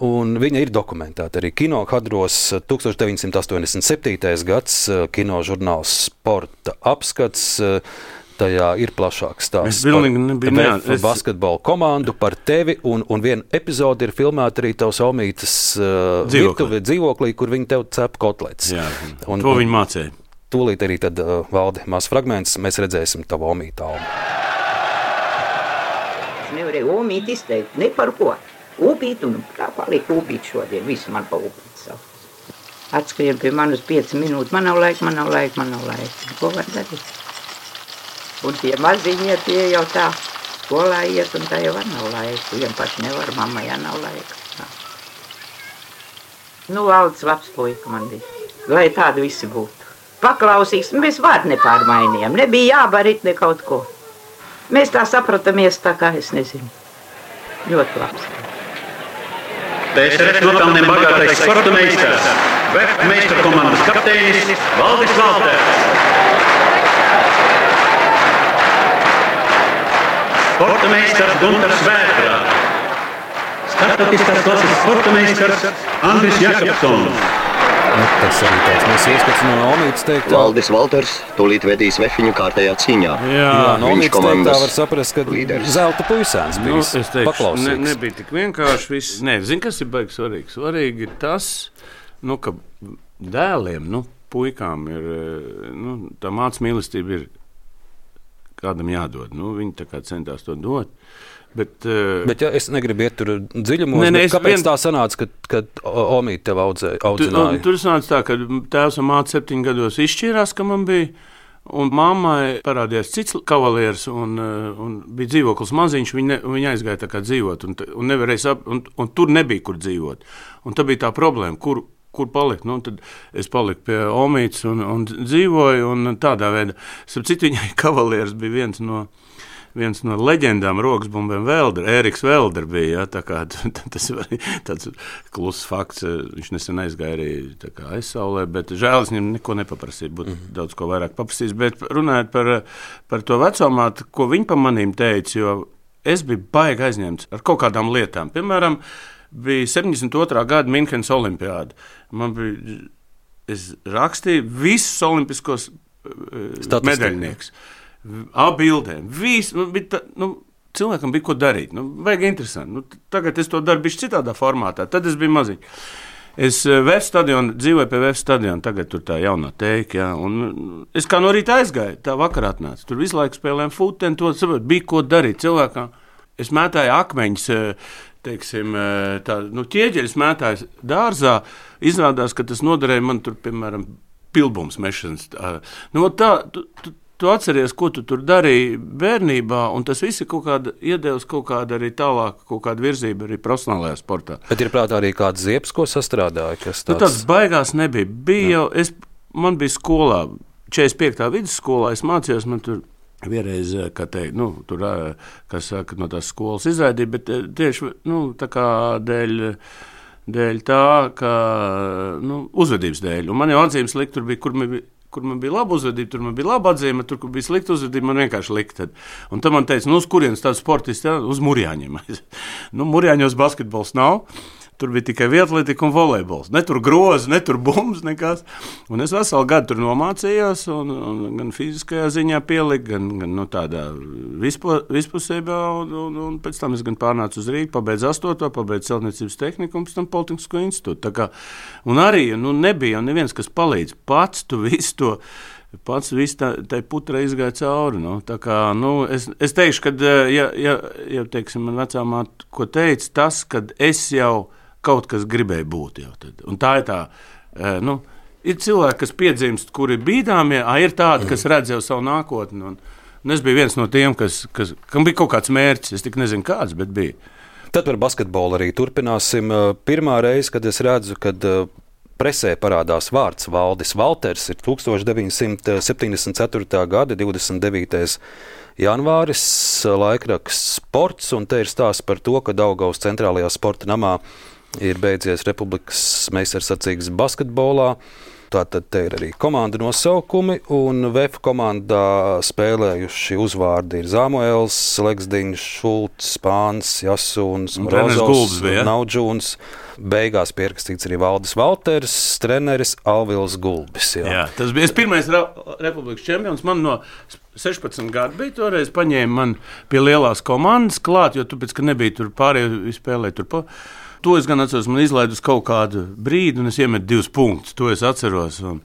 Un viņa ir dokumentēta arī kino kadros. tūkstoš deviņsimt astoņdesmit septītais gads kino žurnāls Sporta apskats. Tajā ir plašāks stāsts par basketbolu komandu, par tevi, un, un viena epizode ir filmēta arī tavs Omītes uh, virtuve dzīvoklī, kur viņi tev cep kotlets. Jā, un, to viņi mācēja. Tūlīt arī tad, uh, Valdi, maz fragments, mēs redzēsim tavu Omītu Almu. Es nevarēju Omīti izteikt, ne par ko. Upīt, un tā palika upīt šodien, visu man pa upīt savu. Atskrien pie manas pieci minūtes, man nav laika, man nav laika, man nav laika. Ko var darīt? Un tie maziņie, tie jau tā skolā iet, un tā jau var nav laika. Vien paši nevar, mamma, ja nav laika. Tā. Nu, Valdis labs puika man bija, lai tādi visi būtu. Paklausīgs, mēs vārdu nepārmainījām, nebija jābarit ne kaut ko. Mēs tā sapratamies tā kā, es nezinu, ļoti labs. T S R S nopelniem bagātais sporta meistars, Vef meistara komandas kapteinis Valdis Valters. Sporta meistars Guntars Vētrā. Startautiskās klases sporta meistars Andris Jakobsons. Nu, tas arī tāds mēs ieskats no Omītes teikt. Valdis Valters tūlīt vedīs Vefiņu kārtējā cīņā. Jā, Jā no Omītes teikt tā var saprast, ka līderis. Zelta puisēns bija. Nu, es teikšu, ne, nebija tik vienkārši viss. Nē, zin, kas ir baigi svarīgi? Svarīgi ir tas, nu, ka dēliem, nu, puikām ir, nu, tā māc mīlestība ir kādam jādod. Nu, viņi tā kā centās to dot. Bet, uh, bet ja es negribu iet tur dziļumos, ne, ne, kāpēc vien... tā sanāca, ka, ka Omīte tev audzē, audzināja? Tu, tur sanāca tā, ka tēvs un māte septiņu gados izšķīrās, ka man bija, un mammai parādījās cits kavalieris, un, un bija dzīvoklis maziņš, viņa, viņa aizgāja tā kā dzīvot, un, un, nevarēja sap, un, un tur nebija, kur dzīvot. Un tā bija tā problēma, kur, kur palikt. Nu, tad es paliku pie Omītes un, un dzīvoju, un tādā veidā. Starp citu, viņai kavalieris bija viens no... Viens no leģendām roksbumbiem Velder, Ēriks Velder bija, ja, tā kā tas ir tāds kluss fakts, viņš nesen aizgāja arī tā kā aizsaulē, bet žēl es viņam neko nepaprasīju, būtu mm-hmm. daudz ko vairāk paprasījis, bet runājot par, par to vecomātu, ko viņi pa manīm teica, jo es biju baigi aizņemts ar kaut kādām lietām. Piemēram, bija septiņdesmit otrā gada Minhenes olimpiāda. Man bija, es rakstīju visus olimpiskos Statistika. medaļnieks. Abildēm. Viss, nu, tā, nu, cilvēkam bija ko darīt. Nu, vajag interesanti. Nu, tagad es to daru bišķi citādā formātā. Tad es biju maziņš. Es Vef stadionu, dzīvoju pie Vef stadionu, tagad tur tā jaunā teika, jā. Un es kā no rīta aizgāju, tā vakarā atnācu. Tur visu laiku spēlējām futeni, to saprot, bija ko darīt cilvēkam. Es mētāju akmeņus, teiksim, tā, nu, ķieģeļus mētāju dārzā. Izrādās, ka tas noderēja man tur, piemēram, pilbums mešanas. Nu, tā, tu, tu, Tu atceries, ko tu tur darīji bērnībā, un tas viss ir kaut kāda iedevis kaut kāda arī tālāk, kaut kāda virzība arī profesionālajā sportā. Bet ir prātā arī kāds ziepes, ko sastrādāja? Kas tāds? Nu, tāds baigās nebija. Bija jau, es, man bija skolā četrdesmit piektā vidusskolā es mācījos, man tur vienreiz, kā teikt, nu, tur, kas saka, no tās skolas izraidīja, bet tieši, nu, tā kā dēļ, dēļ tā, ka, nu, uzvedības dēļ. Un man jau atzīmes likt, tur bija, kur man bija, kur man bija laba uzvedība, tur man bija laba atzīme, tur, kur bija slikta uzvedība, man vienkārši likt. Tad. Un tad man teica, nu, uz kurienes tāds sportists, jā, uz Murjāņiem. Nu, Murjāņos basketbols nav. Tur bija tikai vietletika un volejbols. Ne tur grozi, ne tur bumbas, nekas. Un es veselu gadu tur nomācījos, un, un gan fiziskajā ziņā pieliku, gan, gan nu, tādā vispo, vispusībā, un, un, un pēc tam es gan pārnācu uz Rīgu, pabeidzu astoto, pabeidzu celtniecības tehniku un pēc tam Politehnisko institūtu. Tā kā, un arī nu, nebija neviens, kas palīdz. Pats tu visu to, pats visu tā, tai putra izgāja cauri. Nu. Tā kā, nu, es, es teikšu, ka, ja, ja, ja teiksim, man vecā māte, ko teica, tas, kad es jau kaut kas gribēja būt jau tad. Un tā ir tā, nu, ir cilvēki, kas piedzimst, kuri bīdāmie, ja, ir tādi, kas redz jau savu nākotni. Un, un es biju viens no tiem, kas, kas, kam bija kaut kāds mērķis, es tik nezinu kāds, bet bija. Tad par basketbolu arī turpināsim. Pirmā reize, kad es redzu, kad presē parādās vārds Valdis Valters, ir tukstovš deviņsimt septiņdesmit ceturtā gada divdesmit devītais janvāris, laikraksts Sports, un te ir stāsts par to, ka Daugavas centrālajā sporta namā ir beidzies Republikas meistarsacīgs basketbolā. Tātad te ir arī komanda nosaukumi, un V F komandā spēlējuši uzvārdi ir Zamuēls, Leksdiņš, Šulcs, Spāns, Jasūns, Morozovs, Naudžūns. Beigās pierakstīts arī Valdis Valters, treneris Alvils Gulbis. Jā. Jā, tas bija pirmais Republikas čempions. Man no sešpadsmit gadu bija toreiz, paņēma man pie lielās komandas klāt, jo tu pēc, ka nebija tur pārējie spēlēja tur pa. To es gan atceros, man izlaidu uz kaut kādu brīdi, un es iemetu divus punktus. To es atceros, un,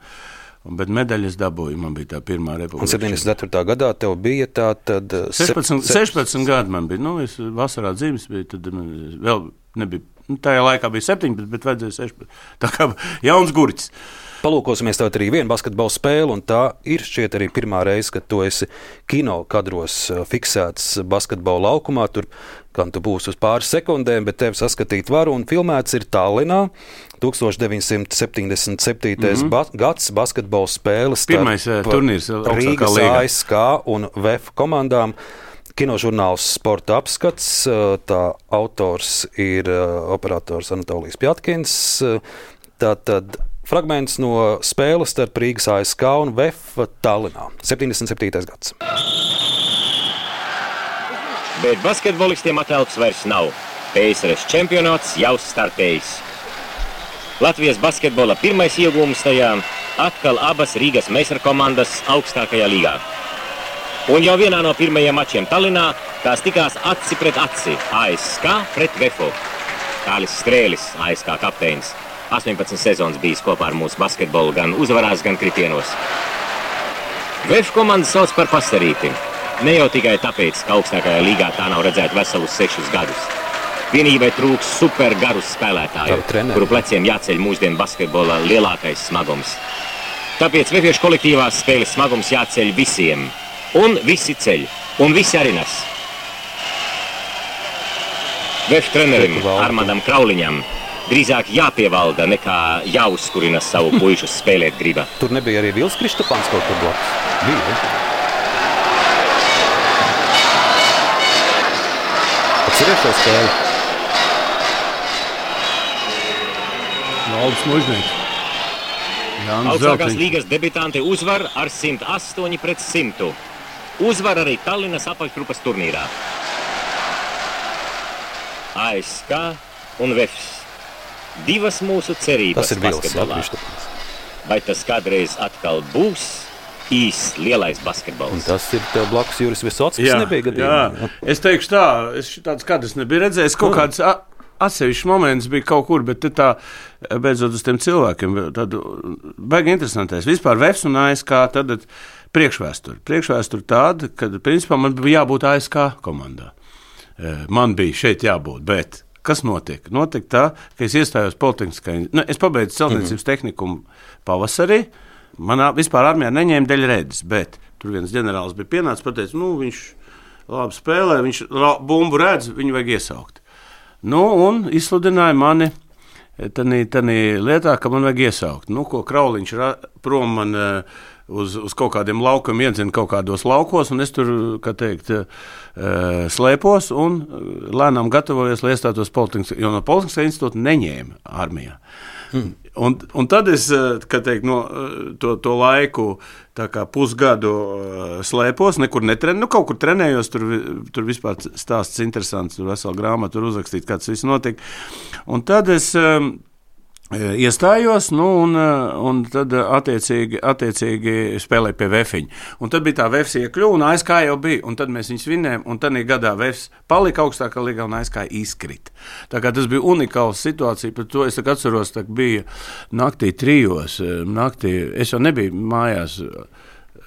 un, bet medaļas dabūju. Man bija tā pirmā Republika. Un septiņdesmit ceturtā gadā tev bija tā tad... sešpadsmit, sešpadsmit gadi man bija. Nu, es vasarā dzīves biju, tad vēl nebija... Nu, tajā laikā bija septiņpadsmit, bet vajadzēja sešpadsmit. Tā kā jauns gurķis. Palūkosimies tātad arī vienu basketbalu spēli, un tā ir šķiet arī pirmā reize, kad tu esi kino kadros fiksēts basketbalu laukumā. Tur gan tu būsi uz pāris sekundēm, bet tevi saskatīt varu, un filmēts ir Tallinā. deviņdesmit septiņdesmit septītais Mm-hmm. ba- gads basketbalu spēles. Pirmais turnīrs Rīgas A S K un V F komandām. Kinožurnāls Sporta apskats, tā autors ir operators Anatolijas Pjatkins. Tātad fragments no spēles starp Rīgas A S K un V F Tallinā. septiņdesmit septītais gads. Bet basketbolistiem atelpas vairs nav. P S R S čempionāts jau startējis. Latvijas basketbola pirmais iegūms tajā atkal abas Rīgas meistarkomandas augstākajā līgā. Un jau vienā no pirmajiem mačiem Tallinā tās tikās aci pret aci. A S K pret V F. Kālis Strēlis, A S K kapteinis, astoņpadsmit sezonas bijis kopā ar mūsu basketbolu gan uzvarās, gan kritienos. V F komanda sauc par pastarīti. Ne jau tikai tāpēc, ka augstākajā līgā tā nav redzēta veselus sešus gadus. Vienībai trūks super garus spēlētāju, kuru pleciem jāceļ mūsdienu basketbola lielākais smagums. Tāpēc vefiešu kolektīvās spēles smagums jāceļ visiem. Un visi ceļ, un visi arī nes. V F trenerim Armandam Krauliņam drīzāk jāpievalda nekā jāuzkurina savu puišu spēlēt griba. Tur nebija arī Vils Kristopāns kaut kur blakus? Bija. Atceries šo spēli? Valdis Mužnieks. Augstākās līgas debitanti uzvar ar simt astoņi pret simtu. Uzvar arī Tallinas apakšgrupas turnīrā. A S K un V F. Divas mūsu cerības basketbolā. Vai tas kādreiz atkal būs īsts lielais basketbols? Un tas ir tev blakus Juris Visockis, kas nebija gadījumā. Jā, es teikšu tā, es tāds kadrs nebiju redzējis, kaut kāds atsevišķs moments bija kaut kur, bet tā beidzot uz tiem cilvēkiem, tad baigi interesantais. Vispār V F un A S K tad priekšvēsturi. Priekšvēsturi tāda, kad principā man bija jābūt A S K komandā. Man bija šeit jābūt, bet kas notiek? Notiek tā, ka es iestājos Politehniskā. Nu, es pabeidzu celtniecības tehniku pavasarī. Manā vispār armijā neņēma dēļ redzes, bet tur viens ģenerālis bija pienācis, pateica, nu, viņš labi spēlē, viņš bumbu redz, viņu vajag iesaukt. Nu, un izsludināja mani tādā lietā, ka man vajag iesaukt. Nu, ko Krauliņš prom man uz, uz kaut kādiem laukiem, iedzinu kaut kādos laukos, un es tur, kā teikt, slēpos un lēnām gatavojos, lai iestātos Politehniskā, jo no Politehniskā institūta neņēma armijā. Mm. Un, un tad es, kā teikt, no to, to laiku tā kā pusgadu slēpos, nekur netrenēju, nu kaut kur trenējos, tur, tur vispār stāsts interesants, tur vesela grāmata, tur uzrakstīt, kā tas viss notiek. Un tad es iestājos, nu, un, un tad attiecīgi, attiecīgi spēlēju pie Vefiņa. Un tad bija tā Vefs iekļuva, un A S K jau bija, un tad mēs viņus vinnējām, un tad gadā Vefs palika augstākā līgā, un A S K izkrita. Tā kā tas bija unikāls situācija, par to es atceros, tā bija naktī trijos, naktī, es jau nebiju mājās,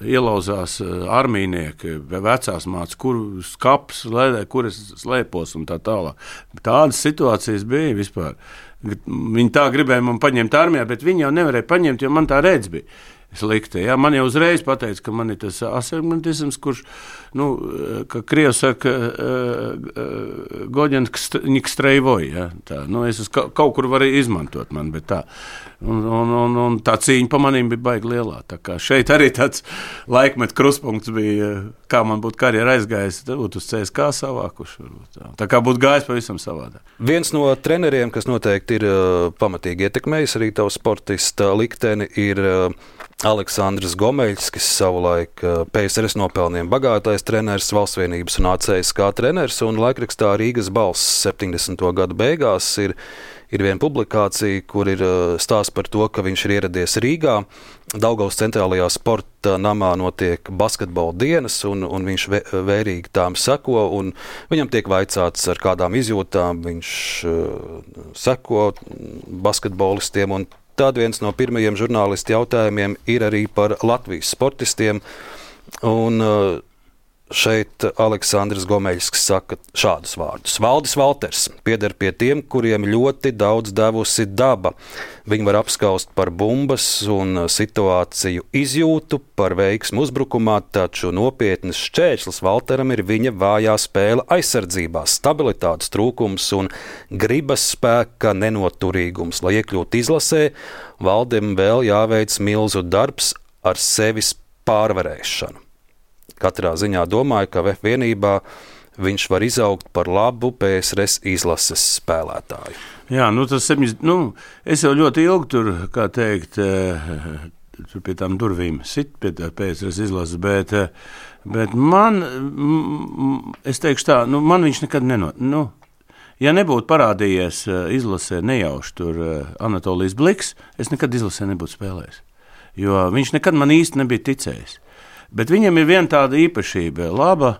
ielauzās armīnieki, vecās mācas, kur skaps, lēdē, kur es slēpos un tā tālāk. Tādas situācijas bija vispār. Viņi tā gribēja man paņemt armijā, bet viņi jau nevarēja paņemt, jo man tā redz bija slikta. Ja? Man jau uzreiz pateica, ka man ir tas astigmatisms, kurš, nu, ka Krievs saka, Goģenks streivoj, ja? Tā, nu, es kaut kur varēju izmantot man, bet tā. Un, un, un, un tā cīņa pa manīm bija baigi lielā. Tā kā šeit arī tāds laikmet krustpunkts bija, kā man būtu karjera aizgājis, tad būtu uz C S K savākuši. Tā, tā kā būtu gājis pavisam savādā. Viens no treneriem, kas noteikti ir uh, pamatīgi ietekmējis arī tavu sportista likteni, ir uh, Aleksandrs Gomeļs, kas savulaik uh, P S R S nopelniem bagātais treneris, Valstsvienības un A C S K treneris, un laikrakstā Rīgas balss septiņdesmito gadu beigās ir Ir viena publikācija, kur ir stāsts par to, ka viņš ir ieradies Rīgā. Daugavas centrālajā sporta namā notiek basketbola dienas, un, un viņš vērīgi tām seko. Viņam tiek vaicāts, ar kādām izjūtām viņš uh, seko basketbolistiem. Un tad viens no pirmajiem žurnālistu jautājumiem ir arī par Latvijas sportistiem. Un, uh, Šeit Aleksandrs Gomeļs saka šādus vārdus. Valdis Valters pieder pie tiem, kuriem ļoti daudz devusi daba. Viņi var apskaust par bumbas un situāciju izjūtu, par veiksmu uzbrukumā, taču nopietnas šķēršļus Valteram ir viņa vājā spēle aizsardzībā, stabilitātes trūkums un gribas spēka nenoturīgums. Lai iekļūtu izlasē, Valdim vēl jāveic milzu darbs ar sevis pārvarēšanu. Katrā ziņā domāju, ka Vef vienībā viņš var izaugt par labu P S R S izlases spēlētāju. Jā, nu tas septiņas, nu, es jau ļoti ilgi tur, kā teikt, tur pie tām durvīm sit pie tā P S R S izlases, bet, bet man, es teikšu tā, nu, man viņš nekad nenot, nu, ja nebūtu parādījies izlasē nejauši tur Anatolijas Bliks, es nekad izlasē nebūtu spēlējis, jo viņš nekad man īsti nebija ticējis. Bet viņam ir viena tāda īpašība, laba,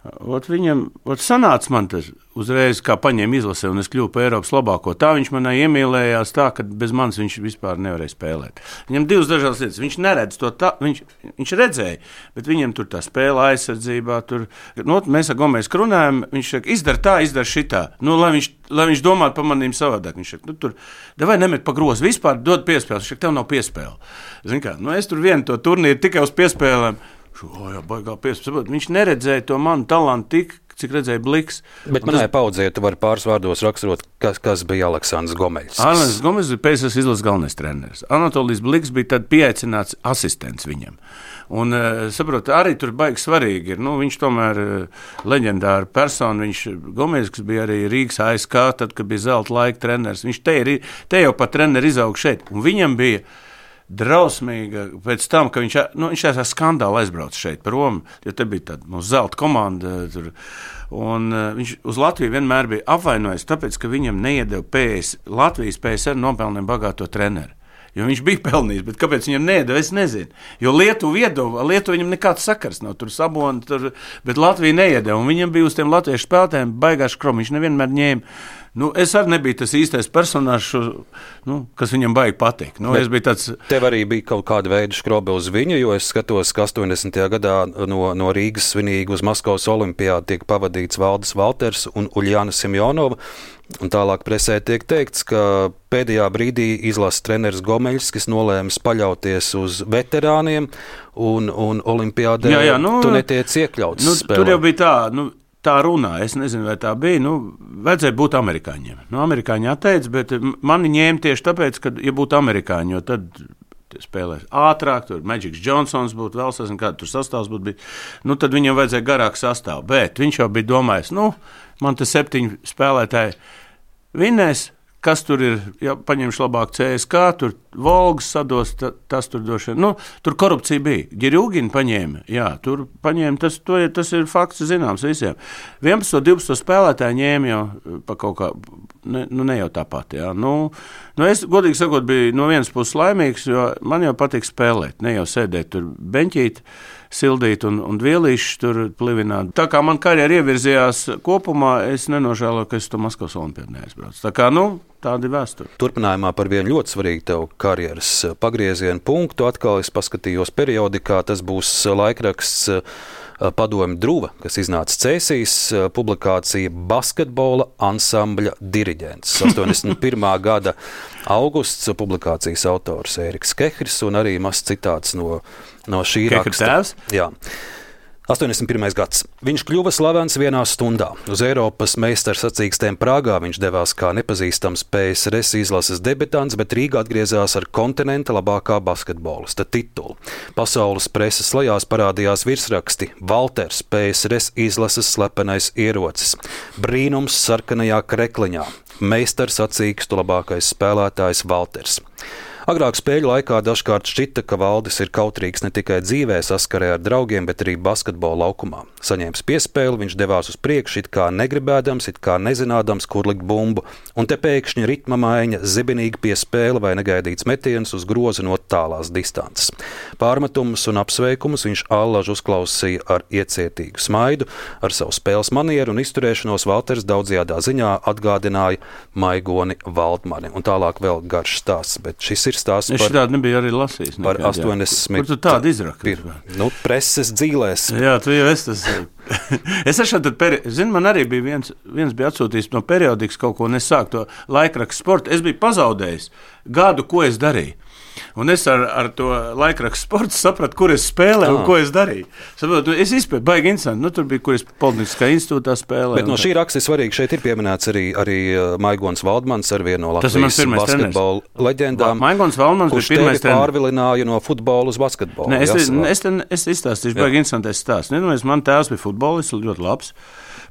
ot viņam, ot sanāca man tas uzreiz, kā paņēma izlasē, un es kļuvu par Eiropas labāko. Tā viņš manai iemīlējās tā, ka bez manis viņš vispār nevarēja spēlēt. Viņam divas dažādas lietas, viņš neredz to tā, viņš, viņš redzēja, bet viņam tur tā spēle aizsardzībā, tur, nu, mēs ar Gomēs runājam, viņš saka, izdara tā, izdara šitā, nu, lai viņš, lai viņš domātu par manīm savādāk. Viņš saka, nu, tur, davai nemet pa grozu, vispār dod piespēles, viņš saka, tev nav piespēle. Zin kā, nu, es tur vienu to turnīru tikai uz piespēlēm, O, jā, baigā piespēlēt. Viņš neredzēja to manu talantu tik, cik redzēja Bliks. Bet manai tas... paudzē, tu vari pāris vārdos raksturot, kas, kas bija Aleksandrs Gomeļs. Aleksandrs Gomeļs bija P S R S izlases galvenais treneris. Anatolijas Bliks bija tad pieaicināts asistents viņam. Un, saprot, arī tur baigi svarīgi ir. Nu, viņš tomēr leģendāra persona. Viņš Gomeļs, kas bija arī Rīgas A S K, tad, kad bija zelta laika treneris. Viņš te, ir, te jau pat treneri izaug šeit. Un viņam bija drausmīga pēc tam, ka viņš, nu, viņš ar skandālu aizbrauca šeit par Romu, jo te bija tāda mūsu zelta komanda, tur, un uh, viņš uz Latviju vienmēr bija apvainojis, tāpēc, ka viņam neiedeva P S, Latvijas P S R nopelniem bagāto treneru. Jo viņš bija pelnījis, bet kāpēc viņam neiedeva, es nezinu. Jo Lietuva iedeva, Lietuva viņam nekāds sakars nav, tur sabona, tur, bet Latvija neiedeva, un viņam bija uz tiem latviešu spēlētājiem baigās krom, viņš nevienmēr ņēma. Nu, es arī nebiju tas īstais personāžs, nu, kas viņam baigi patīk. Nu, es biju tāds... Tev arī bija kaut kāda veida škrobe uz viņu, jo es skatos, ka astoņdesmitajā gadā no, no Rīgas svinīgi uz Maskavas olimpiādu tiek pavadīts Valdis Valters un Uljāna Simjonova. Un tālāk presē tiek teikts, ka pēdējā brīdī izlases treneris Gomeļs, kas nolēmis paļauties uz veterāniem un, un olimpiādē, jā, jā, nu, tu netiec iekļauts nu, spēlē. Tur jau bija tā... Nu, Tā runā, es nezinu, vai tā bija, nu, vajadzēja būt amerikāņiem. Nu, amerikāņi atteica, bet mani ņēma tieši tāpēc, ka, ja būtu amerikāņi, jo tad spēlēs ātrāk, tur Magics Johnsons būtu vēl sasniegt, kāda tur sastāvs būtu bijis. Nu, tad viņam vajadzēja garāk sastāvu. Bet viņš jau bija domājis, nu, man te septiņi spēlētāji vinnēs, kas tur ir, ja paņemšu labāk C S K, tur Volgas sados, ta, tas tur došana. Nu, tur korupcija bija. Girūgina paņēma, jā, tur paņēma, tas, to, tas ir fakts zināms visiem. vienpadsmit, divpadsmit spēlētāji ņēma jau pa kaut kā, ne, nu ne jau tāpat, jā. Nu, nu es, godīgi sakot, biju no vienas puses laimīgs, jo man jau patīk spēlēt, ne jau sēdēt tur beņķīt, sildīt un, un vielīši tur plivināt. Tā kā man karjera ievirzījās kopumā, es nenožēloju, ka es to Maskavas olimpiādu neaizbraucu. Tā kā, nu, tāda ir vēsture. Turpinājumā par vienu ļoti svarīgu tev karjeras pagriezienu punktu atkal es paskatījos periodikā, tas būs laikraksts Padomju Druva, kas iznāca Cēsīs, publikācija Basketbola ansambļa diriģents. astoņdesmit pirmā gada augusts, publikācijas autors Ēriks Kehris un arī mazs citāts no, no šī Kehra raksta. Tēvs? Jā. astoņdesmit pirmais gads. Viņš kļuva slavens vienā stundā. Uz Eiropas meistara sacīkstēm Prāgā viņš devās kā nepazīstams P S R S izlases debitants, bet Rīgā atgriezās ar kontinenta labākā basketbolista titulu. Pasaules preses lejās parādījās virsraksti Valters, P S R S izlases slepenais ierocis, brīnums sarkanajā krekliņā, meistara sacīkstu labākais spēlētājs Valters. Agrāk spēļu laikā dažkārt šķita, ka Valdis ir kautrīgs ne tikai dzīvē saskarē ar draugiem, bet arī basketbola laukumā. Saņēmis piespēli, viņš devās uz priekšu, it kā negribēdams, it kā nezinādams, kur likt bumbu, un te pēkšņi ritma maiņa, zibinīga piespēle vai negaidīts metiens uz groza no tālās distances. Pārmetumus un apsveikumus viņš allažu uzklausīja ar iecietīgu smaidu, ar savu spēles manieru un izturēšanos Valters daudzajādā ziņā atgādināja Maigoni Valdmani. Un tālāk vēl garš stāsts, bet šis ir stāsts par... Es šitādi nebiju arī lasījis. Par astoņdesmit... Kur tu tādu izraki? Nu, preses dzīlēs. Jā, tu jau esi tas... es esmu tad... Peri... Zini, man arī bija viens, viens bija atsūtījis no periodikas kaut ko, un es sāku to laikrakstu sportu. Es biju pazaudējis gadu, ko es darīju. Un es ar, ar to laikrakstu sportu sapratu, kur es spēlēju un ko es darīju. Saprotu, es izpēju, baigi interesanti. Nu, tur bija, kur es Politehniskā institūtā spēlēju. Bet no šī raksta ir svarīgi, šeit ir pieminēts arī, arī Maigons Valdmans ar vienu no Latvijas basketbola leģendām, Maigons Valdmans kurš tevi pārvilināja no futbola uz basketbolu. Ne, es, es, es, es izstāstīšu, baigi interesantais stāsts. Nedomājies, man tēvs bija futbolists, ļoti labs.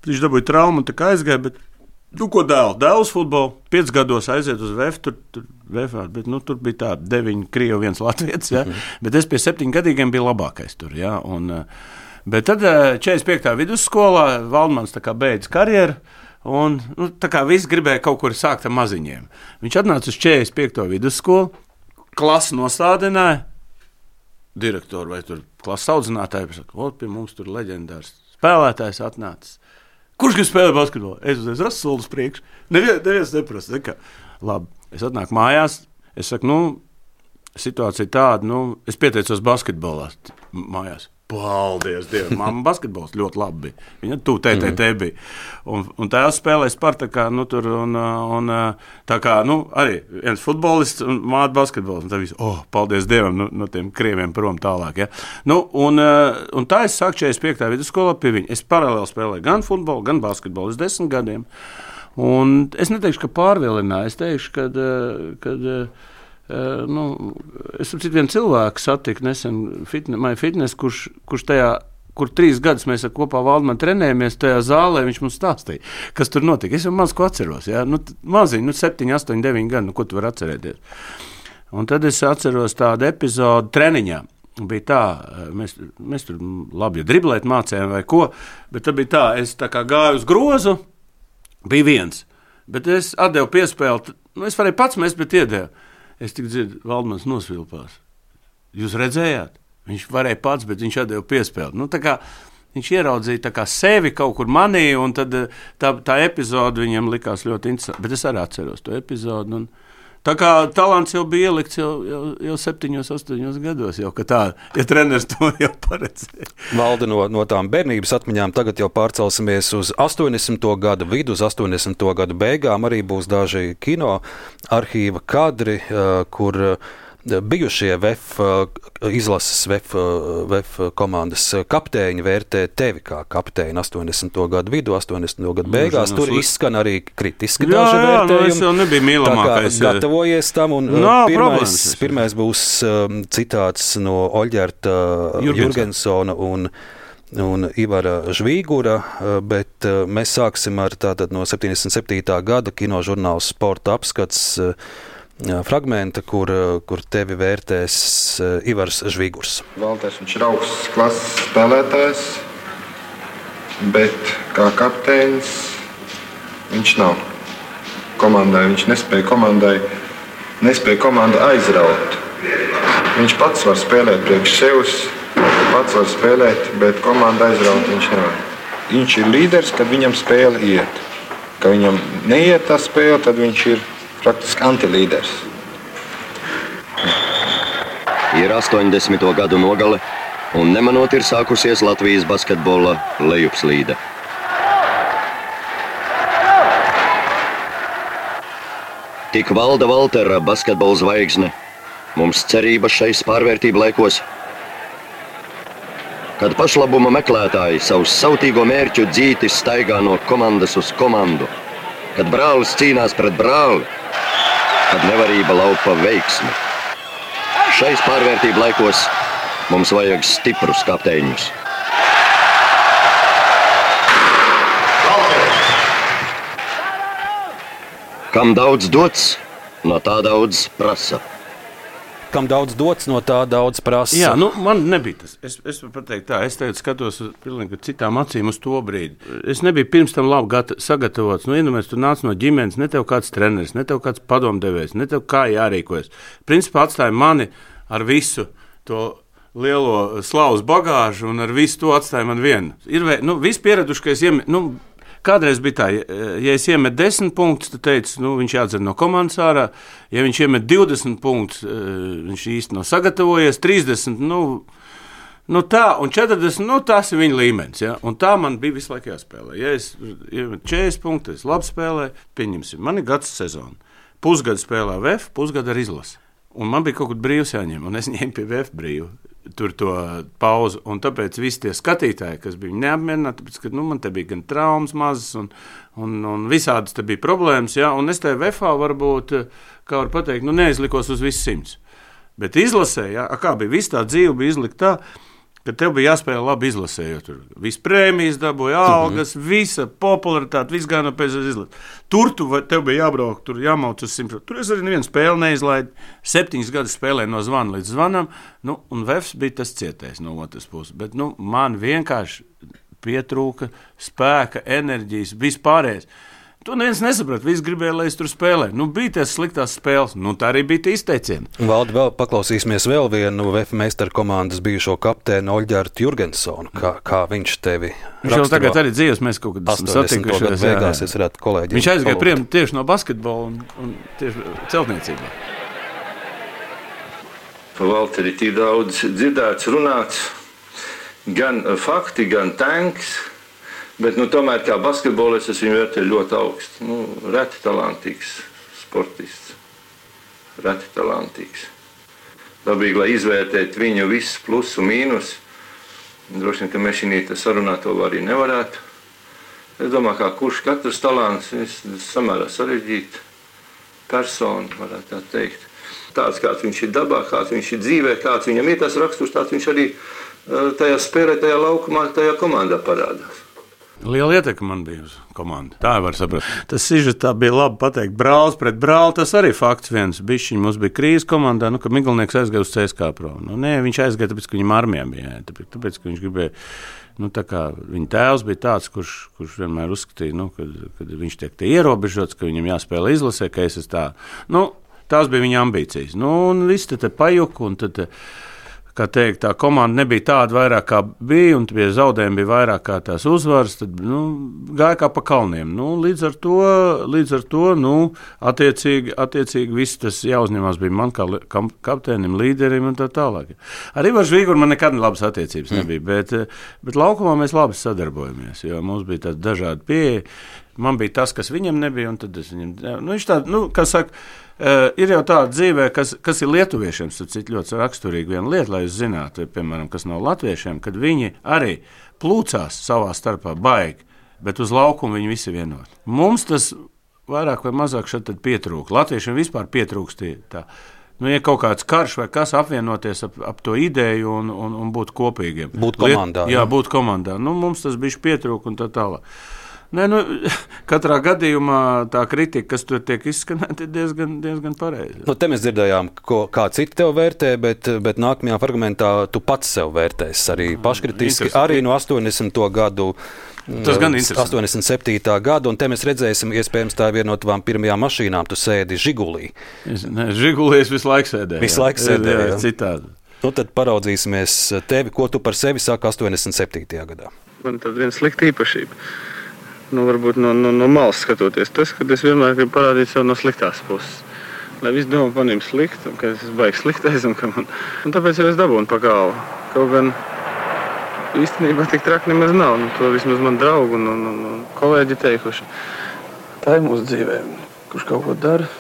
Viņš dabūja traumu un tā kā aizgāja, bet nu, ko dēl? Dēls futbolu, piecus gados aiziet uz V F, tur, tur, V F, bet, nu, tur bija tā deviņi Krievi, viens Latvijas, ja? mm. bet es pie septiņu gadīgiem biju labākais tur, ja? Un, bet tad četrdesmit piektā vidusskolā Valdmans tā kā beidz karjeru, un nu, tā kā visi gribēja kaut kur sākt ar maziņiem. Viņš atnāca uz četrdesmit piekto vidusskolu, klasi nostādināja, direktoru vai tur klases audzinātāju, saka, ot, pie mums tur leģendārs spēlētājs atnācis. Kurš grib spēlēt basketbolu? Es uzreiz rasu solis priekš. Neviens, neviens neprasa. Nekā. Labi, es atnāku mājās. Es saku, nu, situācija tāda, nu, es pieteicos basketbolā mājās. Paldies Dievam, mamma basketbols ļoti labi bija. Viņa tu T T T bija. Un, un tēvs spēlēja Spartakā, nu, tur, un, un tā kā, nu, arī viens futbolists un māte basketbols. Un tā visu, oh, paldies Dievam, nu, no tiem krieviem prom tālāk, ja. Nu, un, un tā es sāku četrdesmit piektā vidusskolā pie viņa. Es paralēli spēlēju gan futbolu, gan basketbolu uz desmit gadiem. Un es neteikšu, ka pārvilināju, es teikšu, kad, kad Uh, nu, es saprotu, vienu cilvēku satiku nesen fitne, fitness, kurš, kurš tajā, kur trīs gadus mēs ar kopā Valdmanu trenējamies tajā zālē, viņš mums stāstīja, kas tur notika. Es jau maz ko atceros, ja? Nu, maziņi, nu, septiņi, astoņi, deviņi gadi, nu, ko tu vari atcerēties. Un tad es atceros tādu epizodu treniņā. Bija tā, mēs, mēs tur labi ja driblēt mācējām vai ko, bet tad bija tā, es tā kā gāju uz grozu, bija viens, bet es atdevu piespēli, nu, es varēju pats mest, bet iedēvu. Es tik dzirdu, Valdmans nosvilpās. Jūs redzējāt? Viņš varēja pats, bet viņš atdeva piespēli. Nu, tā kā viņš ieraudzīja tā kā sevi kaut kur manī, un tad tā, tā epizode viņam likās ļoti interesanti. Bet es arī atceros to epizodu. Un tā kā talants jau bija ielikts jau, jau, jau septiņos, astoņos gados, jau ka tā, ja treneris to jau paredzēja. Valdi, no, no tām bērnības atmiņām tagad jau pārcelsimies uz astoņdesmito gadu vidu, uz astoņdesmito gadu beigām. Arī būs daži kino arhīva kadri, kur bijušie V F izlases V F, V F komandas kapteiņi vērtē tevi kā kapteini astoņdesmito gadu vidu, astoņdesmito gadu beigās. Tur izskan arī kritiski jā, daži jā, vērtējumi. Nu, es jau nebiju mīlamākais. Tā kā gatavojies tam, un no, pirmais, pirmais būs um, citāts no Oļģerta Jurgensona un un Ivara Žvīgura, bet mēs sāksim ar tātad no septiņdesmit septītā gada kinožurnāla Sporta apskats fragmenta, kur, kur tevi vērtēs Ivars Žvīgurs. Valters, viņš ir augsts klases spēlētājs, bet kā kapteinis viņš nav. Komandai, viņš nespēja komandai, nespēja komandu aizraut. Viņš pats var spēlēt priekš sevs, pats var spēlēt, bet komandu aizraut viņš nevar. Viņš ir līderis, kad viņam spēle iet. Kad viņam neiet tā spēle, tad viņš ir praktiski antilīderis. Ir astoņdesmito gadu nogale, un nemanot ir sākusies Latvijas basketbola lejupslīde. Tik valda Valtera basketbola zvaigzne. Mums cerība šais pārvērtību laikos. Kad pašlabuma meklētāji savus sautīgo mērķu dzīti staigā no komandas uz komandu, kad brālis cīnās pret brāli, kad nevarība laupa veiksmi. Šais pārvērtību laikos mums vajag stiprus kapteiņus. Kam daudz dots, no tā daudz prasa. Kam daudz dots, no tā daudz prasa. Jā, nu, man nebija tas. Es, es varu pateikt tā, es tagad skatos uz pilnīgi citām acīm uz to brīdi. Es nebiju pirms tam labi gata, sagatavots. Nu, iedomājies, tu nāc no ģimenes, ne tev kāds treneris, ne tev kāds padomdevējs, ne tev kā jārīkojas. Principā atstāja mani ar visu to lielo slavas bagāžu un ar visu to atstāja man vienu. Ir, nu, viss pieraduši, ka es iemet, nu, kādreiz bija tā, ja es iemetu desmit punktus, tad teicu, nu, viņš jādzer no komandas ārā. Ja viņš iemet divdesmit punktus, viņš īsti nav sagatavojies, trīsdesmit, nu, nu tā, un četrdesmit, nu, tas ir viņa līmenis, ja? Un tā man bija visu laiku jāspēlē. Ja es iemetu četrdesmit punktus, es labi spēlēju, pieņemsim, man ir gads sezona. Pusgadu spēlēju V F, pusgadu ar izlasi. Un man bija kaut kur brīvs jāņem, un es ņēmu pie V F brīvu. Tur to pauzu, un tāpēc visi tie skatītāji, kas bija neapmierināti, tāpēc, ka nu, man te bija gan traumas mazas, un, un, un visādas te bija problēmas, ja? Un es te V F-ā varbūt, kā var pateikt, nu neizlikos uz visu simts. Bet izlasē, ja? Kā bija, viss tā dzīve bija izlikt tā, ka tev bija jāspēlē labi izlasē, jo tur viss prēmijas dabūja, algas, mm-hmm. visa popularitāte, viss gāja no pēc izlasē. Tur tu, tev bija jābrauk, tur jāmauc uz simts. Tur es arī nevienu spēli neizlaidu, septiņas gadus spēlēju no zvana līdz zvanam, nu, un V F bija tas cietējs no otras puses. Bet, nu, man vienkārši pietrūka spēka, enerģijas, vispārējais. To neviens nesaprata. Visi gribēja, lai es tur spēlēju. Nu, bija tās sliktās spēles. Nu, tā arī bija tie izteicieni. Valdi, vēl paklausīsimies vēl vienu V F meistaru komandas bijušo kapteini Oļģertu Jurgensonu. Kā, kā viņš tevi raksturo? Viņš jau tagad arī dzīvos, mēs kaut kad satikušies. Beigās es varētu kolēģiem. Viņš aizgāja prie tieši no basketbola un, un tieši celtniecībā. Pa Valteri tik daudz dzirdēts, runāts. Gan fakti, gan tanks. Bet, nu, tomēr kā basketbolists es viņu vērtēju ļoti augstu. Nu, reti talantīgs sportists. Reti talantīgs. Dabīgi, lai izvērtētu viņu visus plus un mīnus. Droši vien, ka mēs šī sarunā to arī nevarētu. Es domāju, kā kurš katrs talants, samērā sarežģīta persona, varētu tā teikt. Tāds, kāds viņš ir dabā, kāds viņš ir dzīvē, kāds viņam ir tas raksturs, tāds viņš arī tajā spēlē, tajā laukumā, tajā komandā parādās. Liela ietekme man bija uz komandu. Tā var saprast. Tas sižetā bija labi pateikt. Brālis pret brāli, tas arī fakts viens. Bišķiņ, mums bija krīze komandā, nu, ka Miglnieks aizgāja uz C S K A Pro. Nu, nē, viņš aizgāja, tāpēc, ka viņam armijā bija. Tāpēc, tāpēc, ka viņš gribēja, nu, tā kā viņa tēvs bija tāds, kurš, kurš vienmēr uzskatīja, nu, kad, kad viņš tiek te ierobežots, ka viņam jāspēlē izlasē, ka es esmu tā. Nu, tās bija viņa ambīcijas. Nu, un viss te, te pajuka, un tad, kā teikt, tā komanda nebija tāda vairāk kā bija, un pie zaudējumi bija vairāk kā tās uzvaras, tad, nu, gāja kā pa kalniem. Nu, līdz ar to, līdz ar to, nu, attiecīgi, attiecīgi viss tas jāuzņemās bija man kā kapteinim, līderim un tā tālāk. Ar Ivaru Žvīguru man nekad labas attiecības nebija, bet, bet laukumā mēs labi sadarbojamies, jo mums bija tāda dažāda pieeja. Man bija tas, kas viņam nebija, un tad es viņam... Nu, viņš tā, nu, kā saka, uh, ir jau tāda dzīvē, kas, kas ir lietuviešiem, tad cik ļoti raksturīgi viena lieta, lai jūs zinātu, piemēram, kas nav latviešiem, kad viņi arī plūcās savā starpā baigi, bet uz laukumu viņi visi vienot. Mums tas vairāk vai mazāk šeit pietrūk. Latviešiem vispār pietrūkst tā. Nu, ja kaut kāds karš vai kas apvienoties ap, ap to ideju un, un, un būt kopīgiem. Būt komandā. Liet, jā, būt komandā. Nu, mums tas bišķi pietrūk un tā tālāk. Nē, nu, katrā gadījumā tā kritika, kas tur tiek izskanēta, ir diezgan, diezgan pareiza. Nu, te mēs dzirdējām, ko, kā citi tev vērtē, bet, bet nākamajā fragmentā tu pats sev vērtēs arī paškritiski, arī no astoņdesmito gadu. Tas gan interesanti. astoņdesmit septītā gada, un te mēs redzēsim, iespējams, tā ir viena no tavām pirmajām mašīnām, tu sēdi Žigulī. Es, ne, Žigulī es visu laiku sēdēju. Visu laiku sēdēju, jā. Citādi. Nu, tad paraudzīsimies tevi, ko tu par sevi sāki astoņdesmit septītajā gadā. Man tad viena slikta īpašība. Nu, varbūt no, no, no malas skatoties. Tas, kad es vienmēr gribu parādīt sev no sliktās puses. Lai visi domā par viņiem sliktu, ka es baigi sliktais, un, man... un tāpēc jau es dabūnu pa galvu. Kaut gan īstenībā tik traki nemaz nav. Nu, to vismaz man draugi un, un, un kolēģi teikuši. Tā ir mūsu dzīvē. Kurš kaut ko dara,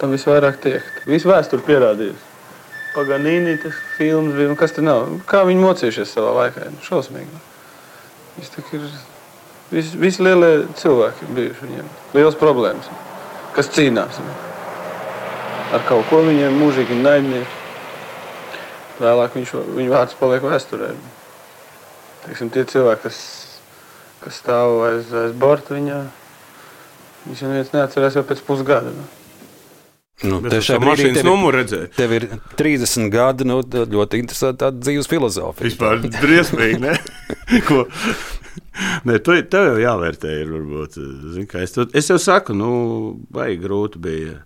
tam visvairāk tiek. Visu vēsturi pierādījis. Paganīni, tas filmas bija, un kas te nav. Kā viņi mocījušies savā laikā? Šausmīgi. Viss tak ir... Visi, visi lielie cilvēki bijuši viņiem. Liels problēmas. Kas cīnās. Ar kaut ko viņiem mūžīgi naidnieki. Vēlāk viņš, viņu vārds paliek vēsturē. Teiksim, tie cilvēki, kas, kas stāv aiz, aiz borta viņā, viņš jau neviens neatcerās jau pēc pusgada. Nu. Nu, Bet es mašīnas numuru redzēju. Tev ir trīsdesmit gadi, nu, ļoti interesanti tāda dzīves filozofija. Vispār briesmīgi, ne? Ko? Nē, to, tev jau jāvērtē ir, varbūt. Zin, kā es, to, es jau saku, nu, baigi grūti bija.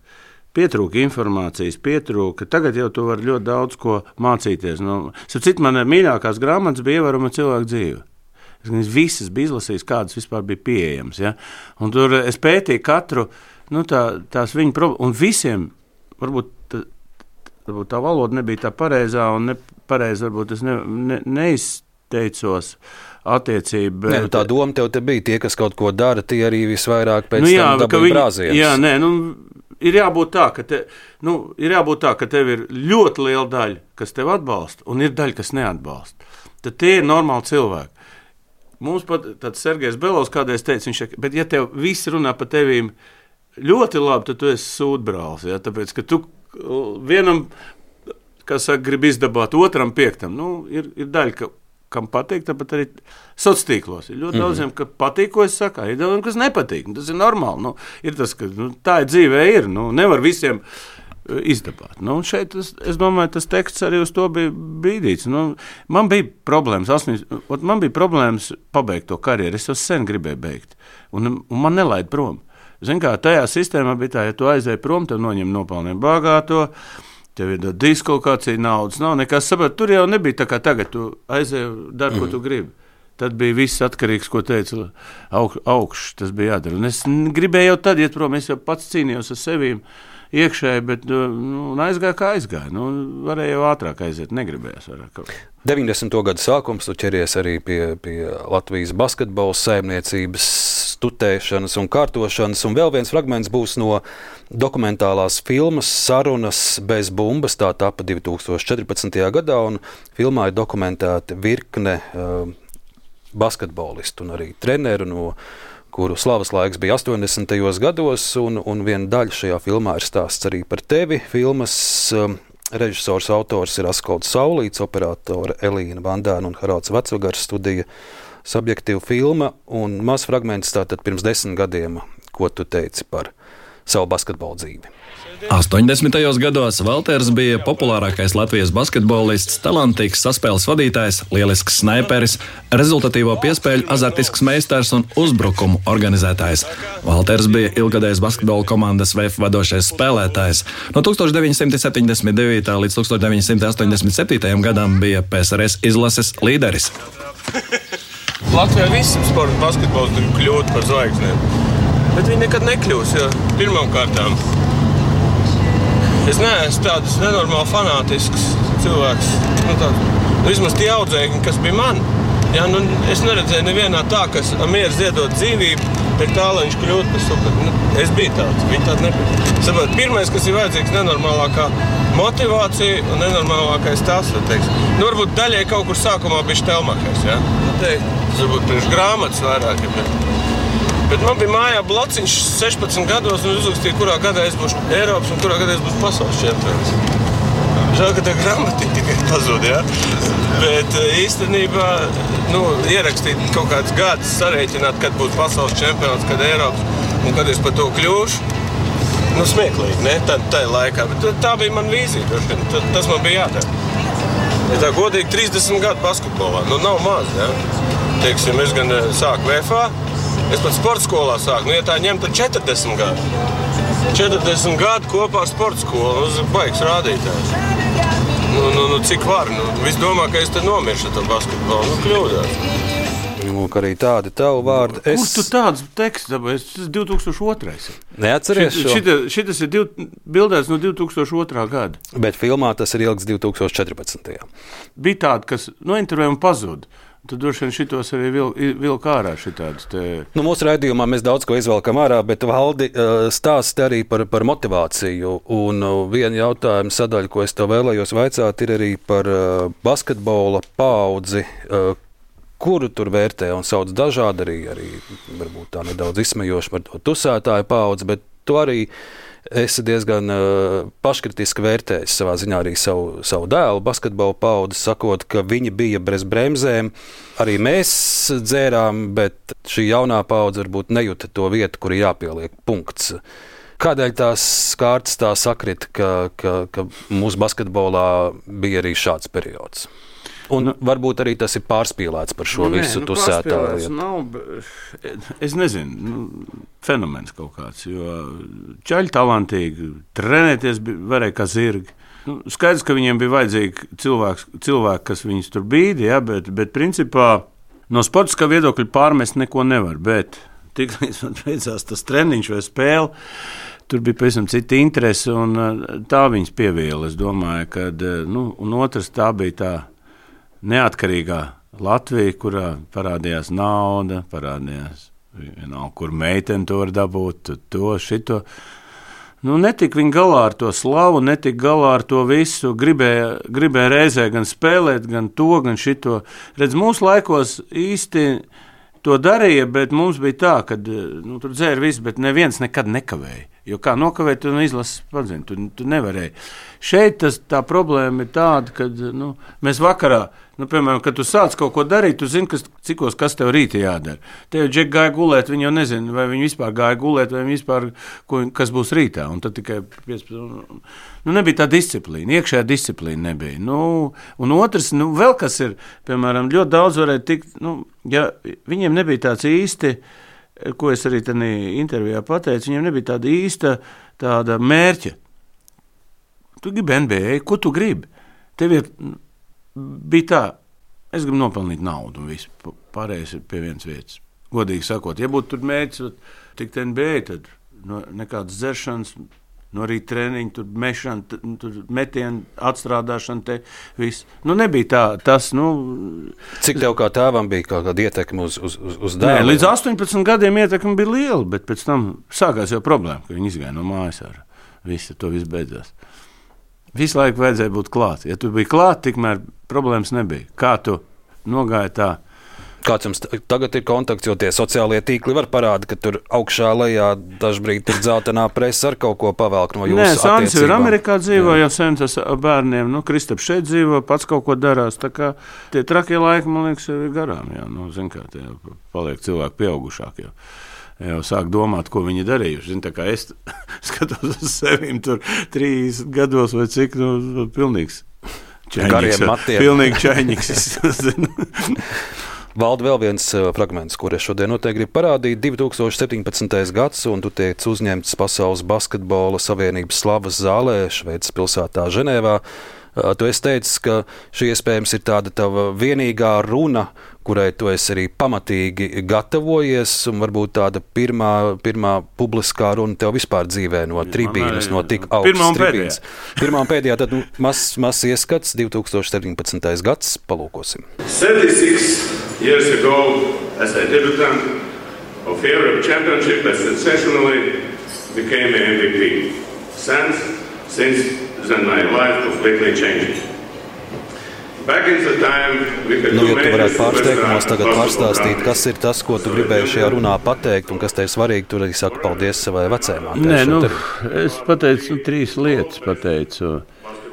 Pietrūka informācijas, pietrūka. Tagad jau tu vari ļoti daudz ko mācīties. Nu, Sapcīt, man mīļākās grāmatas bija Ievērojama cilvēka dzīve. Es visas bija izlasījis, kādas vispār bija pieejamas. Ja? Un tur es pētīju katru, nu, tā, tās viņa problēmas. Un visiem, varbūt tā, varbūt tā valoda nebija tā pareizā, un nepareizi varbūt es ne, ne, neizteicos attiecību. Nē, nu, tā doma tev te bija, tie, kas kaut ko dara, tie arī visvairāk pēc nu, jā, tam dabūja brāzienus. Jā, nē, nu, ir jābūt tā, ka, te, nu, ir jābūt tā, ka tev ir ļoti liela daļa, kas tev atbalsta, un ir daļa, kas neatbalsta. Tad tie ir normāli cilvēki. Mums pat tāds Sergejs Belovs kādreiz teica, viņš, bet ja tev visi runā par tevīm ļoti labi, tad tu esi sūdbrālis, ja? Tāpēc, ka tu vienam, kā saka, grib izdabāt, otram piektam, nu, ir, ir daļa, ka kam patīk, tāpat arī sociālos tīklos. Ir ļoti mm-hmm. daudziem, ka patīk, ko es saku, ir daudziem, kas nepatīk. Tas ir normāli. Nu, ir tas, ka nu, tā ir dzīvē ir. Nu, nevar visiem izdabāt. Nu, šeit, es, es domāju, tas teksts arī uz to bija bīdīts. Nu, man bija problēmas, asmīs, man bija problēmas pabeigt to karjeru. Es jau sen gribēju beigt. Un, un man nelaid prom. Zin kā, tajā sistēmā bija tā, ja tu aizēji prom, tev noņem nopelniem bagāto, tev ir diskokācija, naudas nav nekas saprāt. Tur jau nebija tā kā tagad, tu aizēji, dari, ko tu gribi. Tad bija viss atkarīgs, ko teica aug, augšs, tas bija jādara. Un es gribēju jau tad iet prom, es jau pats cīnījos ar sevīm iekšēji, bet nu, aizgāja kā aizgāja. Nu, varēja jau ātrāk aiziet, negribējās vairāk. deviņdesmito gadu sākums, tu ķeries arī pie, pie Latvijas basketbola saimniecības tutēšanas un kārtošanas, un vēl viens fragments būs no dokumentālās filmas Sarunas bez bumbas, tā tapa divi tūkstoši četrpadsmitajā gadā, un filmā ir dokumentēta virkne uh, basketbolistu un arī treneru, no kuru slavas laiks bija astoņdesmitajos gados, un, un viena daļa šajā filmā ir stāsts arī par tevi. Filmas um, režisors, autors ir Askolds Saulīts, operātore Elīna Bandēna un Haralds Vecvagars, studija Subjektīva filma, un maz fragments tātad pirms desmit gadiem, ko tu teici par savu basketbolu dzīvi. astoņdesmitajos gados Valters bija populārākais Latvijas basketbolists, talantīgs saspēles vadītājs, lielisks snaiperis, rezultatīvo piespēļu azartisks meistars un uzbrukumu organizētājs. Valters bija ilgadējs basketbola komandas V F vadošais spēlētājs. No tūkstoš deviņsimt septiņdesmit devītā līdz tūkstoš deviņsimt astoņdesmit septītajam gadam bija P S R S izlases līderis. Latvijā visam sporta basketbols grib kļūt par zvaigznēm, bet viņi nekad nekļūs, jo pirmām kārtām es neesmu tāds nenormāli fanātisks cilvēks. Nu, tā, nu, vismaz tie audzēkņi, kas bija man, ja, nu, es neredzēju nevienā tā, kas mieru ziedot dzīvību pie tā, lai viņš kļūtu par super. Nu, es biju tāds, viņi tādi nebija. Saprāt, pirmais, kas ir vajadzīgs, nenormālākā motivācija un nenormālākais tas, teiks. Nu, varbūt daļai kaut kur sākumā bija Štelmachers, ja? Nu, teikt, tas varbūt priekš grāmatas vairāk, ja, bet, bet man bija mājā blociņš sešpadsmit gados un uzrakstīja, kurā gadā es būšu Eiropas un kurā gadā es būšu pasaules čempions. Žēl, ka tā grāmatiņa tikai pazūd, ja? Bet īstenībā, nu, ierakstīt kaut kāds gads, sarēķināt, kad būs pasaules čempions, kad Eiropas un kad es par to kļūšu. Nu, smieklīgi, ne? Tā, tā laikā. Bet tā bija man vīzija, tas man bija jādara. Ja tā godīgi trīsdesmit gadu basketbolā, nu, nav maz, ja? Teiksim, es gan sāku V F A, es pat sporta skolā sāku, nu, ja tā ņem, tad četrdesmit gadu. četrdesmit gadu kopā ar sporta skolu, uz baigs rādītājs. Nu, nu, nu, cik var? Nu, viss domā, ka es te nomiršu ar to basketbolu. Nu, kļūdās. Nu, arī tādi tavu vārdi. Es... Kur tu tāds teksts dabūji? Tas ir divi tūkstoši otrais. Neatceries šo? Šita, šitas ir div, bildēts no divi tūkstoši otrā gada. Bet filmā tas ir ilgs divi tūkstoši četrpadsmitajā. Bija tāda, kas no intervējuma pazuda. Tad droši vien šitos arī vilk vil ārā šitādas. Te... Nu, mūsu raidījumā mēs daudz ko izvelkam ārā, bet Valdi stāsti arī par, par motivāciju. Un viena jautājuma sadaļa, ko es tev vēlējos vaicāt, ir arī par basketbola paudzi, kuru tur vērtē un sauc dažādi, arī, arī varbūt tā nedaudz izsmejoši par to tusētāju paudzi, bet tu arī esi diezgan uh, paškritiski vērtējis savā ziņā arī savu, savu dēlu basketbola paudzi, sakot, ka viņi bija bez bremzēm. Arī mēs dzērām, bet šī jaunā paudze varbūt nejuta to vietu, kur jāpieliek punkts. Kādēļ tās kārtas tā sakrit, ka, ka, ka mūsu basketbolā bija arī šāds periods? Un nu, varbūt arī tas ir pārspīlēts par šo nē, visu nu, tusētāju. Nav, es nezinu, nu, fenomens kaut kāds, jo čaļi talantīgi, trenēties varēja kā zirgi. Nu, skaidrs, ka viņiem bija vajadzīgi cilvēks, cilvēki, kas viņus tur bīdi, ja, bet, bet principā no sportiskā viedokļa pārmest neko nevar, bet tik līdz man beidzās tas treniņš vai spēle, tur bija pavisam cita interese un tā viņas pieviela. Es domāju, ka, nu, un otrs tā bija tā neatkarīgā Latvija, kurā parādījās nauda, parādījās vienalga, kur meiteni to var dabūt, to, šito. Nu, netika viņi galā ar to slavu, netika galā ar to visu, gribēja, gribēja reizē gan spēlēt, gan to, gan šito. Redz, mūsu laikos īsti to darīja, bet mums bija tā, ka nu, tur dzēra visu, bet neviens nekad nekavēja. Jo kā nokavēt, tu izlases padzini, tu, tu nevarēji. Šeit tas, tā problēma ir tāda, ka nu, mēs vakarā, nu, piemēram, kad tu sāc kaut ko darīt, tu zini, kas, cikos, kas tev rīti jādara. Te jau džeki gāja gulēt, viņi jau nezina, vai viņi vispār gāja gulēt, vai viņi vispār, ko, kas būs rītā. Un tad tikai piecpadsmit, nu, nebija tā disciplīna, iekšējā disciplīna nebija. Nu, un otrs, nu, vēl kas ir, piemēram, ļoti daudz varēja tikt, nu, ja viņiem nebija tāds īsti, ko es arī tādā intervijā pateicu, viņiem nebija tāda īsta tāda mērķa. Tu gribi N B A, ko tu gribi? Tev ir, bija tā, es gribu nopelnīt naudu un visu, pārējais ir pie vienas vietas. Godīgi sakot, ja būtu tur mērķis tikt N B A, tad no, nekādas dzeršanas, no rīt treniņu, tur mešana, tur metienu, atstrādāšana, te viss. Nu, nebija tā, tas, nu... Cik tev kā tēvam bija kaut kāda ietekme uz, uz, uz dēlu? Nē, līdz astoņpadsmit gadiem ietekme bija liela, bet pēc tam sākās jau problēma, ka viņi izgāja no mājas ar visu, to viss beidzās. Visu laiku vajadzēja būt klāt. Ja tu biji klāt, tikmēr problēmas nebija. Kā tu nogāji tā? Kāds jums tagad ir kontakts, jo tie sociālie tīkli var parādīt, ka tur augšā lejā dažbrīd ir dzeltenā presa ar kaut ko pavelk no jūsu Nē, attiecībām. Sāns ir Amerikā dzīvo, jau sen tas bērniem, nu, Kristaps šeit dzīvo, pats kaut ko darās, tā kā tie trakie laiki, man liekas, ir garām, jā, nu, zin kā, tie paliek cilvēki pieaugušāk, jau, jau sāk domāt, ko viņi darījuši, zin, tā kā es skatos uz sevim tur trīsdesmit gados vai cik, nu, pilnīgs čaiņiks, pilnīgi čaiņiks, Valda, vēl viens fragments, kur es šodien noteikti gribu parādīt. divi tūkstoši septiņpadsmitais gads, un tu tiec uzņemts Pasaules basketbola savienības slavas zālē Šveices pilsētā Ženēvā. Tu esi teicis, ka šī iespējams ir tāda tava vienīgā runa, kurai tu esi arī pamatīgi gatavojies, un varbūt tāda pirmā, pirmā publiskā runa tev vispār dzīvē no tribīnes, no tik augstas tribīnes. Pirmā un pēdējā, tad nu, mazs mas ieskats, divi tūkstoši septiņpadsmitais gads, palūkosim. thirty-six years ago, as a debutant, of Europe Championship that sensationally became an M V P. Since, since then my life completely changed. Back in the time we could Nu, ja tu do varētu pāris majors teikumos tagad Western pārstāstīt, basketball kas ir tas, ko tu gribēji šajā runā pateikt, un kas tev ir svarīgi, tur arī saka paldies savai vecējumā. Nē, nu, es pateicu nu, trīs lietas. Pateicu.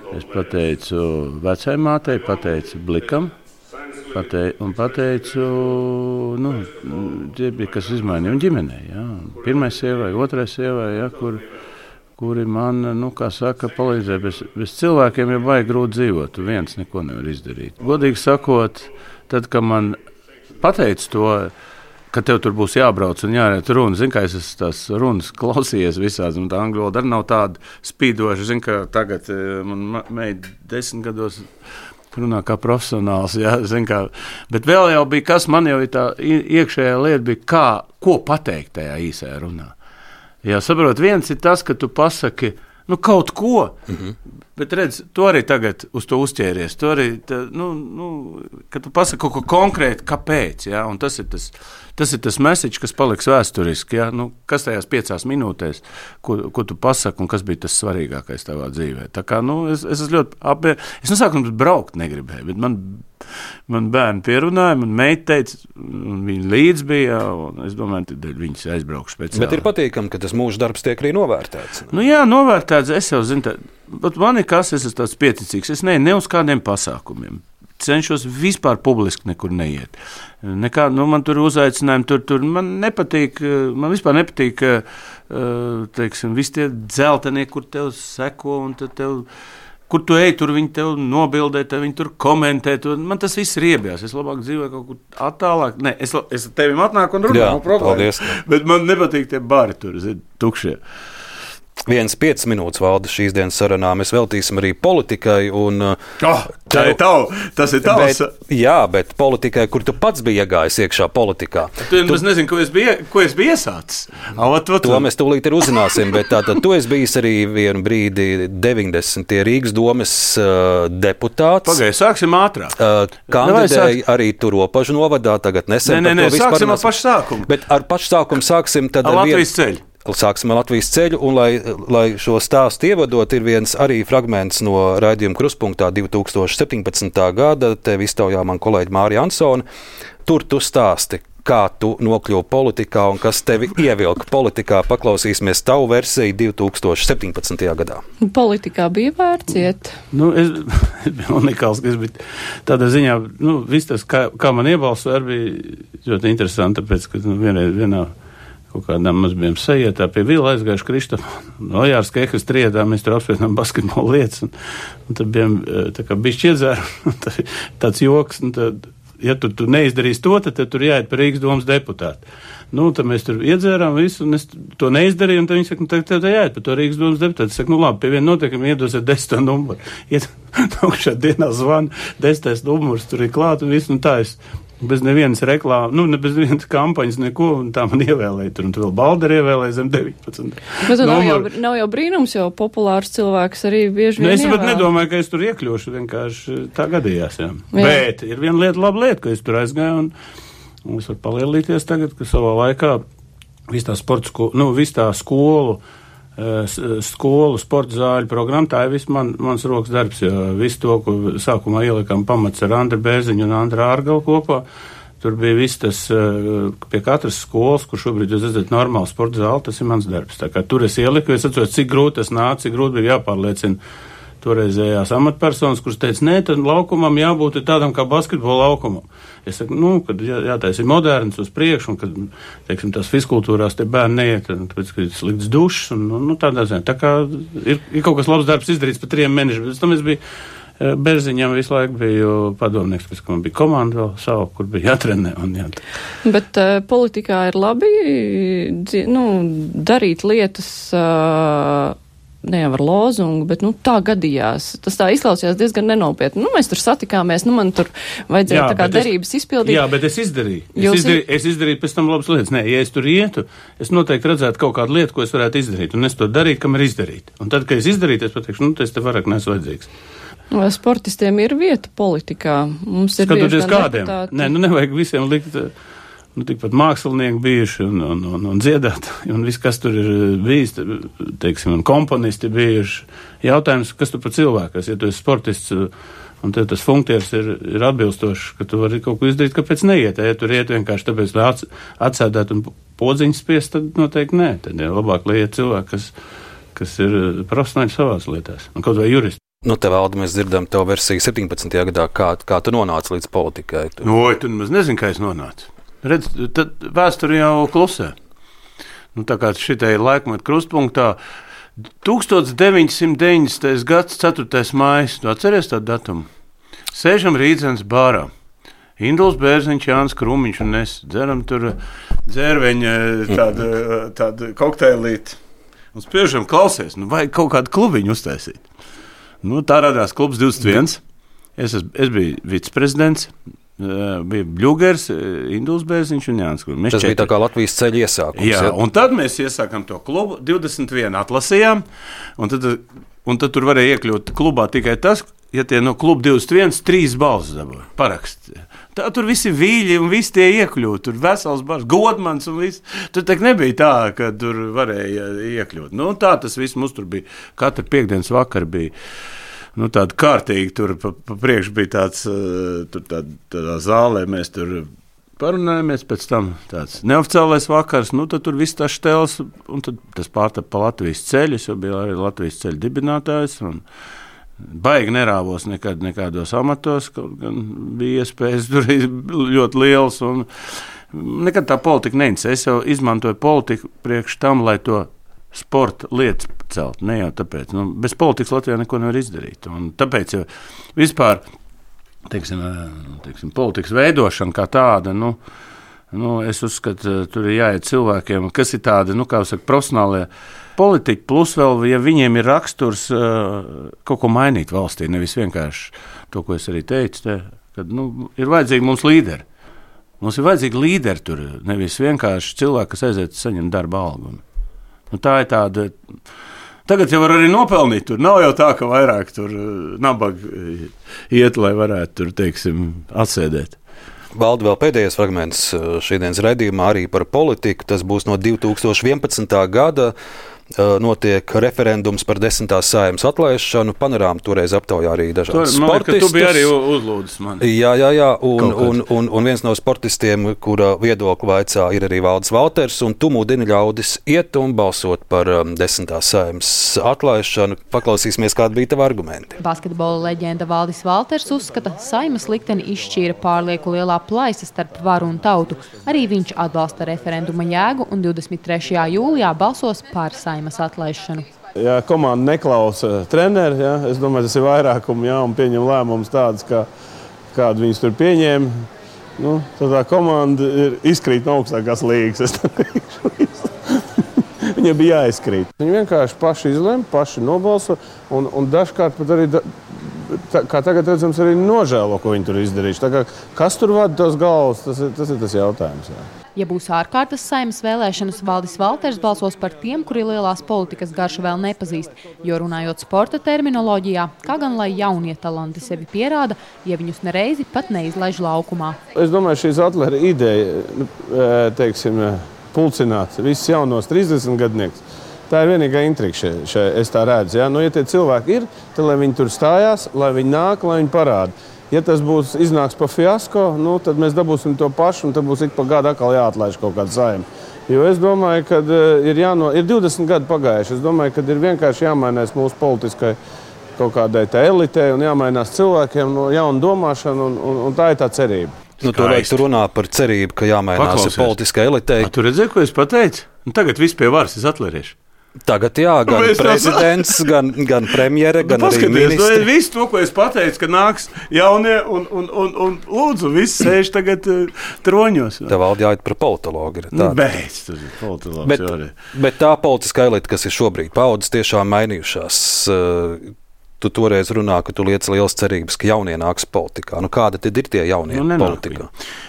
Es pateicu vecējmātei, pateicu Blikam, patei, un pateicu, nu, tie bija, kas izmainīja un ģimenei. Ja. Pirmai sievai, otrai sievai, ja, kur, kuri man, nu, kā saka, palīdzēja. Bez, bez cilvēkiem jau vajag grūti dzīvot, tu viens neko nevar izdarīt. Godīgi sakot, tad, kad man pateica to, ka tev tur būs jābrauc un jāiet runa, zin, kā es esmu tās runas klausījies visāds, un tā angļu valoda arī nav tāda spīdoša, zin, ka tagad man meita desmit gados runā kā profesionāls, jā, zin, kā, bet vēl jau bija, kas man jau ir tā iekšējā lieta, bija kā, ko pateikt tajā īsajā runā. Jā, saprot, viens ir tas, ka tu pasaki, nu, kaut ko, mm-hmm. bet redz, tu arī tagad uz to uzķēries, tu arī, tā, nu, nu, ka tu pasaki kaut ko konkrēti, kāpēc, jā, un tas ir tas, tas ir tas message, kas paliks vēsturiski, jā, nu, kas tajās piecās minūtēs, ko, ko tu pasaki, un kas bija tas svarīgākais tavā dzīvē. Tā kā, nu, es, es esmu ļoti apie... Es no sākuma braukt negribēju, bet man, man bērni pierunāja, man meita teica, un viņi līdz bija, un es domāju, tad viņas aizbraukšu speciāli. Bet ir patīkami, ka tas mūža darbs tiek arī novērtēts. Nu jā, novērtēts, es jau zinu, tā, bet man ir kas, es esmu tāds pieticīgs, es ne, ne uz kādiem pasākumiem. Cenšos vispār publiski nekur neiet. Nekā, nu, man tur uzaicinājumi, tur, tur man nepatīk, man vispār nepatīk, teiksim, visi tie dzeltenie, kur tev seko un tev, kur tu ej, tur viņi tev nobildē, tev viņi tur komentē, tur, man tas viss riebjās, es labāk dzīvoju kaut kur attālāk, ne, es, es tevim atnāku un runāju, paldies. Bet man nepatīk tie bari tur, zin, tukšie. Viens piecas minūtes valda šīs dienas sarunā. Mēs veltīsim arī politikai. Un, oh, tā ir tavu, tas ir tavs. Bet, jā, bet politikai, kur tu pats biji iegājis iekšā politikā. Tu, tu nezini, ko es biju, ko es biju iesācis. Avat, vat, to mēs tūlīt ir uzzināsim, bet tātad tu esi bijis arī vienu brīdi deviņdesmitie Rīgas domes uh, deputāts. Pagaid, sāksim ātrāk. Uh, kandidēji arī tur Ropažu novadā, tagad nesen. Nē, nē, nē, sāksim ar pašu sākumu. Bet ar pašu sākumu sāksim tad ar Latvijas ceļu. Sāksim ar Latvijas ceļu, un, lai, lai šo stāstu ievadot, ir viens arī fragments no raidījuma Krustpunktā divi tūkstoši septiņpadsmitā gada. Tev iztaujā man kolēģi Mārija Ansone. Tur tu stāsti, kā tu nokļuvi politikā un kas tevi ievilka politikā. Paklausīsimies tavu versiju divi tūkstoši septiņpadsmitajā gadā. Politikā bija vērts iet? Nu, es, es biju unikāls, ka es biju tādā ziņā, nu, viss tas, kā, kā man iebalsoja, arī bija ļoti interesanti, tāpēc, ka nu, vienreiz vienā kaut kādām mēs bijām sajietā pie Vila aizgājuši Krištofu. No Jārs Kehas triedā mēs tur apspriedām basketbola lietas. Un, un tad bijām tā kā bišķi iedzēru. Tāds joks. Un tad, ja tu, tu neizdarīsi to, tad tur jāiet par Rīgas domas deputātu. Nu, tad mēs tur iedzērām visu, un es to neizdarīju. Un tad viņi saka, nu, tagad tev jāiet par to Rīgas domas deputātu. Es saku, nu labi, pie viena notiekuma iedosiet desmito numuru. Iet augšā dienā zvanu, desmitais numurs tur ir klāt un viss. Un tā es bez nevienas reklāmas, nu, ne bez nevienas kampaņas, neko, un tā man ievēlēja tur, un tu vēl Balderi ievēlēja zem deviņpadsmit. Bet nav jau, nav jau brīnums, jo populārs cilvēks arī bieži vien nu, es ievēl. pat nedomāju, ka es tur iekļūšu, vienkārši tā gadījās, jā. jā. Bet ir viena lieta, laba lieta, ka es tur aizgāju, un, un es varu palielīties tagad, ka savā laikā viss tā sporta skolu, nu, viss tā skolu, skolu, sporta zāļu programma, tā ir viss man, mans rokas darbs, jo visu to, ko sākumā ielikām pamats ar Andru Bērziņu un Andru Ārgalu kopā, tur bija viss tas, pie katras skolas, kur šobrīd jūs redzat normālu sporta zāli, tas ir mans darbs. Tā kā tur es ieliku, es atceros, cik grūti tas nāca, cik grūti bija jāpārliecina toreizējās amatpersonas, kuras teica, nē, tad laukumam jābūt tādam kā basketbola laukumam. Es saku, nu, kad jā, jātais ir moderns uz priekšu, un kad, teiksim, tās fiskultūrās te bērni neiet, tāpēc, ka ir slikts dušs, un, nu, tādā ziņā. Tā kā ir, ir kaut kas labs darbs izdarīts pa trim mēnešiem, bet tam es biju Berziņam visu laiku biju padomnieks, pēc, ka man bija komanda vēl savu, kur bija jātrenē. Un jā. Bet uh, politikā ir labi, nu, darīt lietas... Uh, ne jau ar lozungu, bet, nu, tā gadījās. Tas tā izklausījās diezgan nenopietni. Nu, mēs tur satikāmies, nu, man tur vajadzēja jā, tā kā derības es, izpildīt. Jā, bet es izdarīju. Es izdarīju, es izdarīju pēc tam labas lietas. Nē, ja es tur ietu, es noteikti redzētu kaut kādu lietu, ko es varētu izdarīt. Un es to darītu, kam ir izdarīt. Un tad, kad es izdarītu, es pateikšu, nu, tas te vairāk neesmu vajadzīgs. Sportistiem ir vieta politikā. Mums ir skatoties kādiem. Deputāti. Nē, nu, nevajag visiem likt... nu, tikpat mākslinieki bijuši un, un, un, un dziedātāji, un viss, kas tur ir bijis, teiksim, un komponisti bijuši. Jautājums, kas tu par cilvēku, ja tu esi sportists, un tev tas funkcijas ir, ir atbilstošs, ka tu vari kaut ko izdarīt, kāpēc neiet. Ja tur iet vienkārši tāpēc, lai atsēdētu un podziņas spiest, tad noteikti nē. Tad ir labāk, lai iet cilvēki, kas, kas ir profesionāļi savās lietās, un kaut vai juristi. Nu, te Valdi, mēs dzirdam tev versiju septiņpadsmitajā gadā, kā, kā tu nonāci līdz politikai. Tu... Oi, tu nemaz nezini, kā es nonācu. Redz, tad vēsturi jau klusē. Nu, tā kā šitai laikmetu krustpunktā, tūkstoš deviņsimt deviņdesmitais gads, ceturtais mājas, tu atceries tādu datumu? Sēžam Rīdzenes bārā. Induls Bērziņš, Jānis Krūmiņš un es dzeram tur dzērveņa tādu, tādu kokteilīti. Un spriežam, klausies, nu vajag kaut kādu klubiņu uztaisīt. Nu, tā radās klubs divdesmit viens. Es, es, es biju viceprezidents, bija Bļugers, Induls Bērziņš un Jānis Krūmiņš. Tas četri. Bija tā kā Latvijas ceļa iesākums. Jā, ja? Un tad mēs iesākam to klubu, divdesmit vienu atlasījām, un tad, un tad tur varēja iekļūt klubā tikai tas, ja tie no kluba divdesmit viens trīs balsis dabūja parakst. Tā tur visi vīļi un visi tie iekļūt, tur vesels bars, Godmans un viss. Tur tak nebija tā, ka tur varēja iekļūt. Nu, tā tas viss mums tur bija. Katra piekdienas vakar bija, nu, tāda kārtīgi, tur pa, pa priekš bija tāds, tur tād, tādā zālē mēs tur parunājamies, pēc tam tāds neoficiālais vakars, nu, tad tur viss tā štels, un tad tas pārtap pa Latvijas ceļus, jo bija arī Latvijas ceļu dibinātājs, un baigi nerāvos nekad nekādos amatos, kaut gan bija iespējas tur ļoti liels, un nekad tā politika neinteresē. Es jau izmantoju politiku priekš tam, lai to sporta lietas celt, ne jau tāpēc. Nu, bez politikas Latvijā neko nevar izdarīt, un tāpēc jau vispār, teiksim, teiksim, politikas veidošana kā tāda, nu, nu, es uzskatu, tur ir jāiet cilvēkiem, kas ir tādi, nu, kā saka, profesionālie politiķi, plus vēl, ja viņiem ir raksturs uh, kaut ko mainīt valstī, nevis vienkārši to, ko es arī teicu, te, kad, nu, ir vajadzīgi mums līderi. Mums ir vajadzīgi līderi tur, nevis vienkārši cilvēki, kas aiziet saņemt darba algu. Nu, tā ir tāda, tagad jau var arī nopelnīt tur, nav jau tā, ka vairāk tur nabagi iet, lai varētu tur, teiksim, atsēdēt. Valdi, vēl pēdējais fragments šīdienas raidījumā arī par politiku. Tas būs no divi tūkstoši vienpadsmitā gada. Notiek referendums par desmitās Saeimas atlaišanu. Panorāma toreiz aptaujā arī dažādus sportistus. Tu biji arī uzlūdzis mani. Jā, jā, jā. Un, un, un, un viens no sportistiem, kura viedokli vaicā, ir arī Valdis Valters. Un tu mudini ļaudis iet un balsot par um, desmitās Saeimas atlaišanu. Paklausīsimies, kādi bija tavi argumenti. Basketbola leģenda Valdis Valters uzskata, Saeimas likteni izšķīra pārlieku lielā plaisa starp varu un tautu. Arī viņš atbalsta referenduma jēgu un divdesmit trešajā jūlijā balsos par Saeimas atlaišanu. Ja komanda neklausa treneri, ja, es domāju, tas ir vairākumi, ja, un pieņem lēmumus tādus, kā, kādu viņus tur pieņēma, nu, tad tā komanda ir izkrīt no augstākās līgas. Viņiem bija jāizkrīt. Viņi vienkārši paši izlēma, paši nobalso, un, un dažkārt pat arī, da, tā, kā tagad redzams, arī nožēlo, ko viņi tur izdarījuši. Tā kā, kas tur vada tos galvas, tas ir tas, ir tas jautājums. Jā. Ja būs ārkārtas Saeimas vēlēšanas, Valdis Valters balsos par tiem, kuri lielās politikas garšu vēl nepazīst, jo runājot sporta terminoloģijā, kā gan lai jaunie talanti sevi pierāda, ja viņus nereizi pat neizlaiž laukumā. Es domāju, šīs atlēra ideja, teiksim, pulcināt visus jaunos trīsdesmit gadniekus. Tā ir vienīgā intriga šeit, še, es tā redzu. Ja? Nu, ja tie cilvēki ir, tad lai viņi tur stājās, lai viņi nāk, lai viņi parāda. Ja tas būs iznāks pa fiasko, nu, tad mēs dabūsim to pašu, un tad būs ik pa gadu atkal jāatlaiž kaut kāda Saeima. Jo es domāju, ka ir, jāno, ir divdesmit gadi pagājuši. Es domāju, ka ir vienkārši jāmainās mūsu politiskai kaut kādai tā elitei un jāmainās cilvēkiem no jauna domāšana, un, un, un tā ir tā cerība. Nu, tur vajag runā par cerību, ka jāmainās politiskai elitei. A, tu redzēji, ko es pateicu? Un tagad viss pie varas es atleriešu. Tagad jā, gan Mēs prezidents, tā... gan, gan premjere, gan nu, arī ministri. Nu, visu to, ko es pateicu, ka nāks jaunie un, un, un, un lūdzu, viss sēž tagad uh, troņos. Tev Valdi jāiet par politologu. Nu, beidz, tur ir politologs. Bet, bet tā politiskā elite, kas ir šobrīd, paudzes tiešām mainījušās. Uh, Tu toreiz runā, ka tu liec lielas cerības, ka jaunie nāks politikā. Nu, kāda tad ir tie jaunie nu, politikā?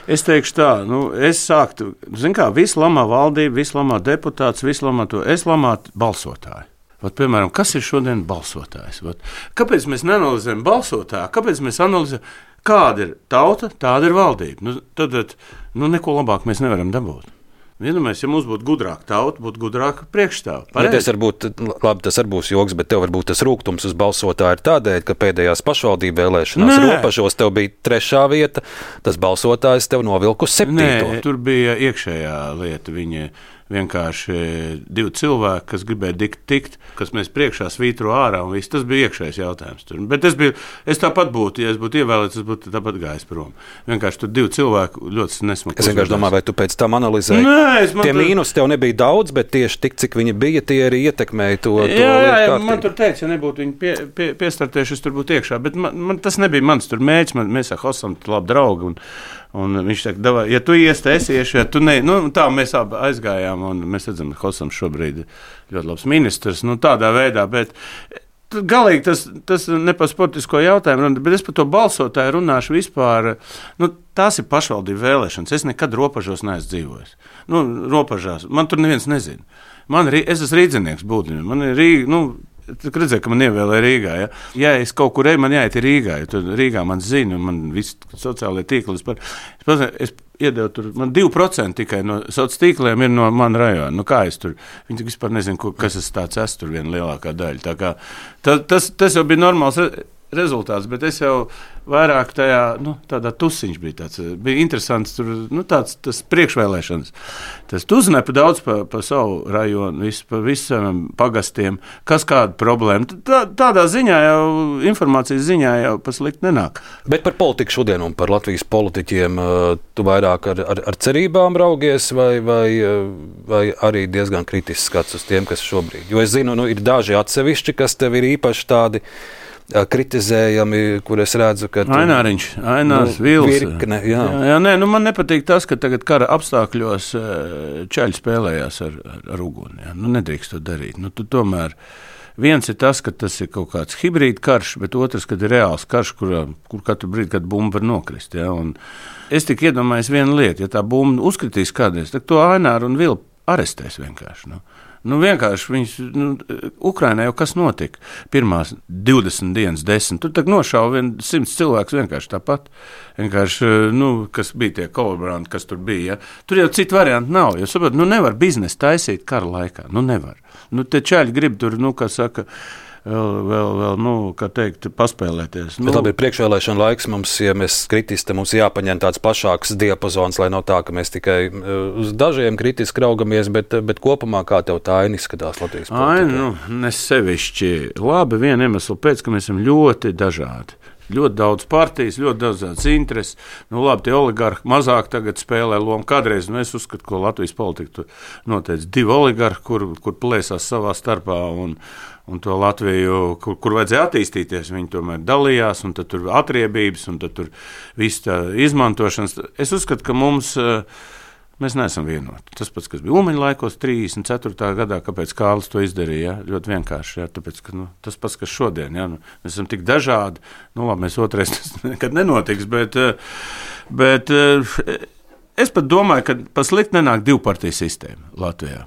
Es teikšu tā, nu, es sāktu, zin kā, visu lamā valdību, visu lamā deputāts, visu lamā to, es lamātu balsotāju. Vat, piemēram, kas ir šodien balsotājs? Vat, kāpēc mēs neanalizējam balsotāju? Kāpēc mēs analizējam, Kāda ir tauta, tāda ir valdība. Nu, tad nu, neko labāk mēs nevaram dabūt. Vienamēs, ja mums būtu gudrāka tauta, būtu gudrāka priekšstāva. Ja tas, būt, labi, tas arī būs joks, bet tev varbūt tas rūgtums uz balsotāju ir tādēļ, ka pēdējās pašvaldību vēlēšanās Nē. Ropažos tev bija trešā vieta, tas balsotājs tev novilka uz septīto. Nē, tur bija iekšējā lieta. Viņi vienkārši divi cilvēki, kas gribēja dikt, tikt, kas mēs priekšā svītro ārā un viss. Tas bija iekšējais jautājums. Tur. Bet es, biju, es tāpat būtu, ja es būtu ievēlēts, es būtu tāpat gājis prom. Vienkārši tur divi cilvēki ļoti nesmuki. Es vienkārši domāju, vai tu pēc tam analizēji. Nē, tie tur... mīnus tev nebija daudz, bet tieši tik, cik viņi bija, tie arī ietekmēja to, to jā, jā, lietu man tur teica, ja nebūtu viņi pie, pie, piestartējuši, es tur būtu iekšā. Bet man, man, tas nebija mans tur mēģis. Man, mēs ar Hosam labi draugi. Un, Un viņš teica, ja tu iesi, es iešu, ja tu ne. Nu, tā mēs abi aizgājām, un mēs redzam, ka Hosams šobrīd ir ļoti labs ministrs. Nu, tādā veidā, bet galīgi tas, tas ne par sportisko jautājumu, bet es par to balsotāju runāšu vispār. Nu, tās ir pašvaldību vēlēšanas. Es nekad Ropažos neesmu dzīvojis. Nu, Ropažās. Man tur neviens nezina. Man, es esmu rīdzinieks būtībā. Man ir Rīga, nu, Tu redzēji, ka man ievēlēja Rīgā. Ja, ja es kaut kur eju, man jāiet Rīgā. Ja tur Rīgā man zina, un man visi sociālie tīkli. Es, par, es, es iedevu tur, man divi procenti tikai no sociāliem tīkliem ir no mana rajona. Nu, kā es tur? Viņi vispār nezina, kas es tāds esmu, tur viena lielākā daļa. Tā kā, tā, tas, tas jau bija normāls rezultāts, bet es jau vairāk tajā, nu, tādā tusiņš bija tāds, bija interesants tur, nu, tāds, tas priekšvēlēšanas. Tas tu uzzināji pa daudz pa, pa savu rajonu, visu, pa visam pagastiem, kas kāda problēma. Tā, tādā ziņā jau, informācijas ziņā jau paslikt nenāk. Bet par politiku šodien un par Latvijas politiķiem tu vairāk ar, ar, ar cerībām raugies vai, vai, vai arī diezgan kritisks skats uz tiem, kas šobrīd? Jo es zinu, nu, ir daži atsevišķi, kas tev ir īpaši tādi kritizējami, kur es redzu, ka tu, Aināriņš, Ainārs, nu, Vils. Virkne, jā. Jā, jā, nē, nu man nepatīk tas, ka tagad kara apstākļos čaļi spēlējās ar, ar, ar uguni. Jā. Nu, nedrīkst to darīt. Nu, tu tomēr viens ir tas, ka tas ir kaut kāds hibrīd karš, bet otrs, kad ir reāls karš, kur, kur katru brīdi, kad bumba var nokrist. Jā. Un es tik iedomājos vienu lietu, ja tā bumba uzkritīs kādreiz, tad to Aināru un Vilu arestēs vienkārši. Nu. Nu, vienkārši viņas, nu, Ukrainā jau kas notika? Pirmās divdesmit dienas, desmit. Tur tak nošauja vien simts cilvēks vienkārši tāpat. Vienkārši, nu, kas bija tie kolaboranti, kas tur bija. Ja? Tur jau citu variantu nav. Jo, saprot, nu, nevar biznesu taisīt kara laikā. Nu, nevar. Nu, te čaļi grib tur, nu, kā saka, vēl, vēl, vēl nu, kā teikt, paspēlēties. Nu, bet labi, ir priekšvēlēšana laiks mums, ja mēs kritiski, mums jāpaņem tāds plašāks diapazons, lai nav tā, ka mēs tikai uz dažiem kritiski raugamies, bet, bet kopumā kā tev tā aina izskatās Latvijas politikā? Ai, nu, nesevišķi labi, viena iemesla pēc, ka mēs esam ļoti dažādi. Ļoti daudz partijas, ļoti daudz intereses. Nu, labi, tie oligarhi mazāk tagad spēlē lomu. Kādreiz nu, es uzskatu, ka Latvijas politika noteica divi oligarhi, kur, kur plēsās savā starpā un, un to Latviju, kur, kur vajadzēja attīstīties. Viņi tomēr dalījās, un tad tur atriebības, un tad tur viss tā izmantošanas. Es uzskatu, ka mums... Mēs neesam vienoti. Tas pats, kas bija Ulmaņa laikos, trīsdesmit ceturtajā gadā, kāpēc Kārlis to izdarīja, ja? Ļoti vienkārši. Ja? Tāpēc, ka, nu, tas pats, kas šodien, ja? Nu, mēs esam tik dažādi, nu labi, mēs otrais tas nekad nenotiks, bet, bet es pat domāju, ka pa slikti nenāk divpartiju sistēma Latvijā.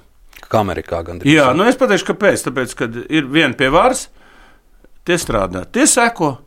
Kā Amerikā gandrīz. Jā, nu es pateikšu, kāpēc. Tāpēc, kad ir viena pie varas, tie strādā, tie seko,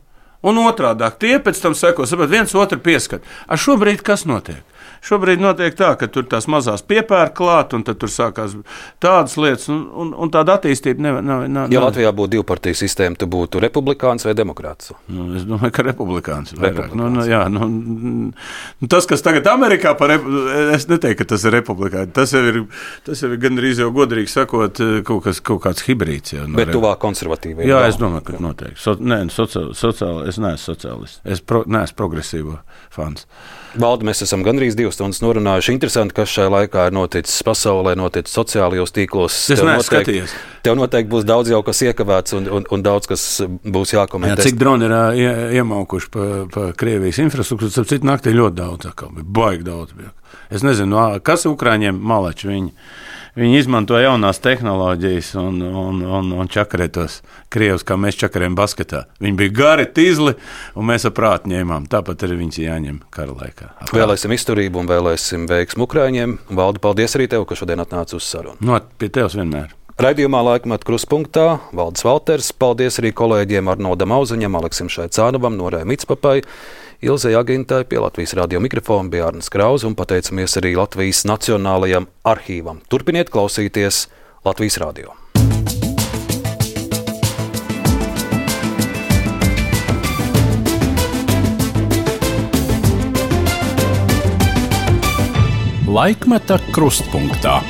un otrādāk tie pēc tam seko, saprot, viens otru pieskat. Ar šobrīd kas notiek? Šobrīd notiek tā, ka tur tās mazās piepērk klāt, un tad tur sākās tādas lietas, un, un, un tāda attīstība nevar. Nav, nav, ja Latvijā būtu divpartiju sistēma, tu būtu republikāns vai demokrāts? Nu, es domāju, ka republikāns. republikāns. Nu, nu, jā, nu, tas, kas tagad Amerikā par republikānu, es neteiktu, ka tas ir republikāns. Tas jau ir, tas jau ir gandrīz jau godīgi sakot kaut, kas, kaut kāds hibrīds. Jau, no bet tuvāk konservatīviem? Jā, es domāju, ka noteikti. So, nē, sociāli, sociāli, es neesmu sociālists. Es pro, neesmu progresīvo fans. Valdi, mēs esam gandrīz divas stundas norunājuši. Interesanti, kas šajā laikā ir noticis pasaulē, noticis sociālajos tīklos. Es neesmu skatījies. Tev noteikti būs daudz jau kas iekavēts un, un, un daudz kas būs jākomentē. Jā, cik droni ir ie, iemaukuši pa, pa Krievijas infrastruktūru, tad citu naktī ļoti daudz, kā bija baigi daudz. Bija. Es nezinu, kas Ukraiņiem malači viņi. Viņi izmanto jaunās tehnoloģijas un, un, un, un čakarē tos krievus, kā mēs čakarējam basketā. Viņi bija gari, tīzli, un mēs ar prātu ņēmām. Tāpat arī viņus jāņem kara laikā. Vēlēsim izturību un vēlēsim veiksmu Ukraiņiem. Valdi, paldies arī tev, ka šodien atnāci uz sarunu. No, pie tevs vienmēr. Raidījumā Laikmeta Kruspunktā Valdis Valters. Paldies arī kolēģiem Arnoldam Auziņam, Aleksim Šaicānovam, Norai Mitspapai, Ilzei Agintai pie Latvijas radio mikrofona bija Arnis Krauze un pateicamies arī Latvijas Nacionālajam arhīvam. Turpiniet klausīties Latvijas radio. Laikmeta krustpunktā.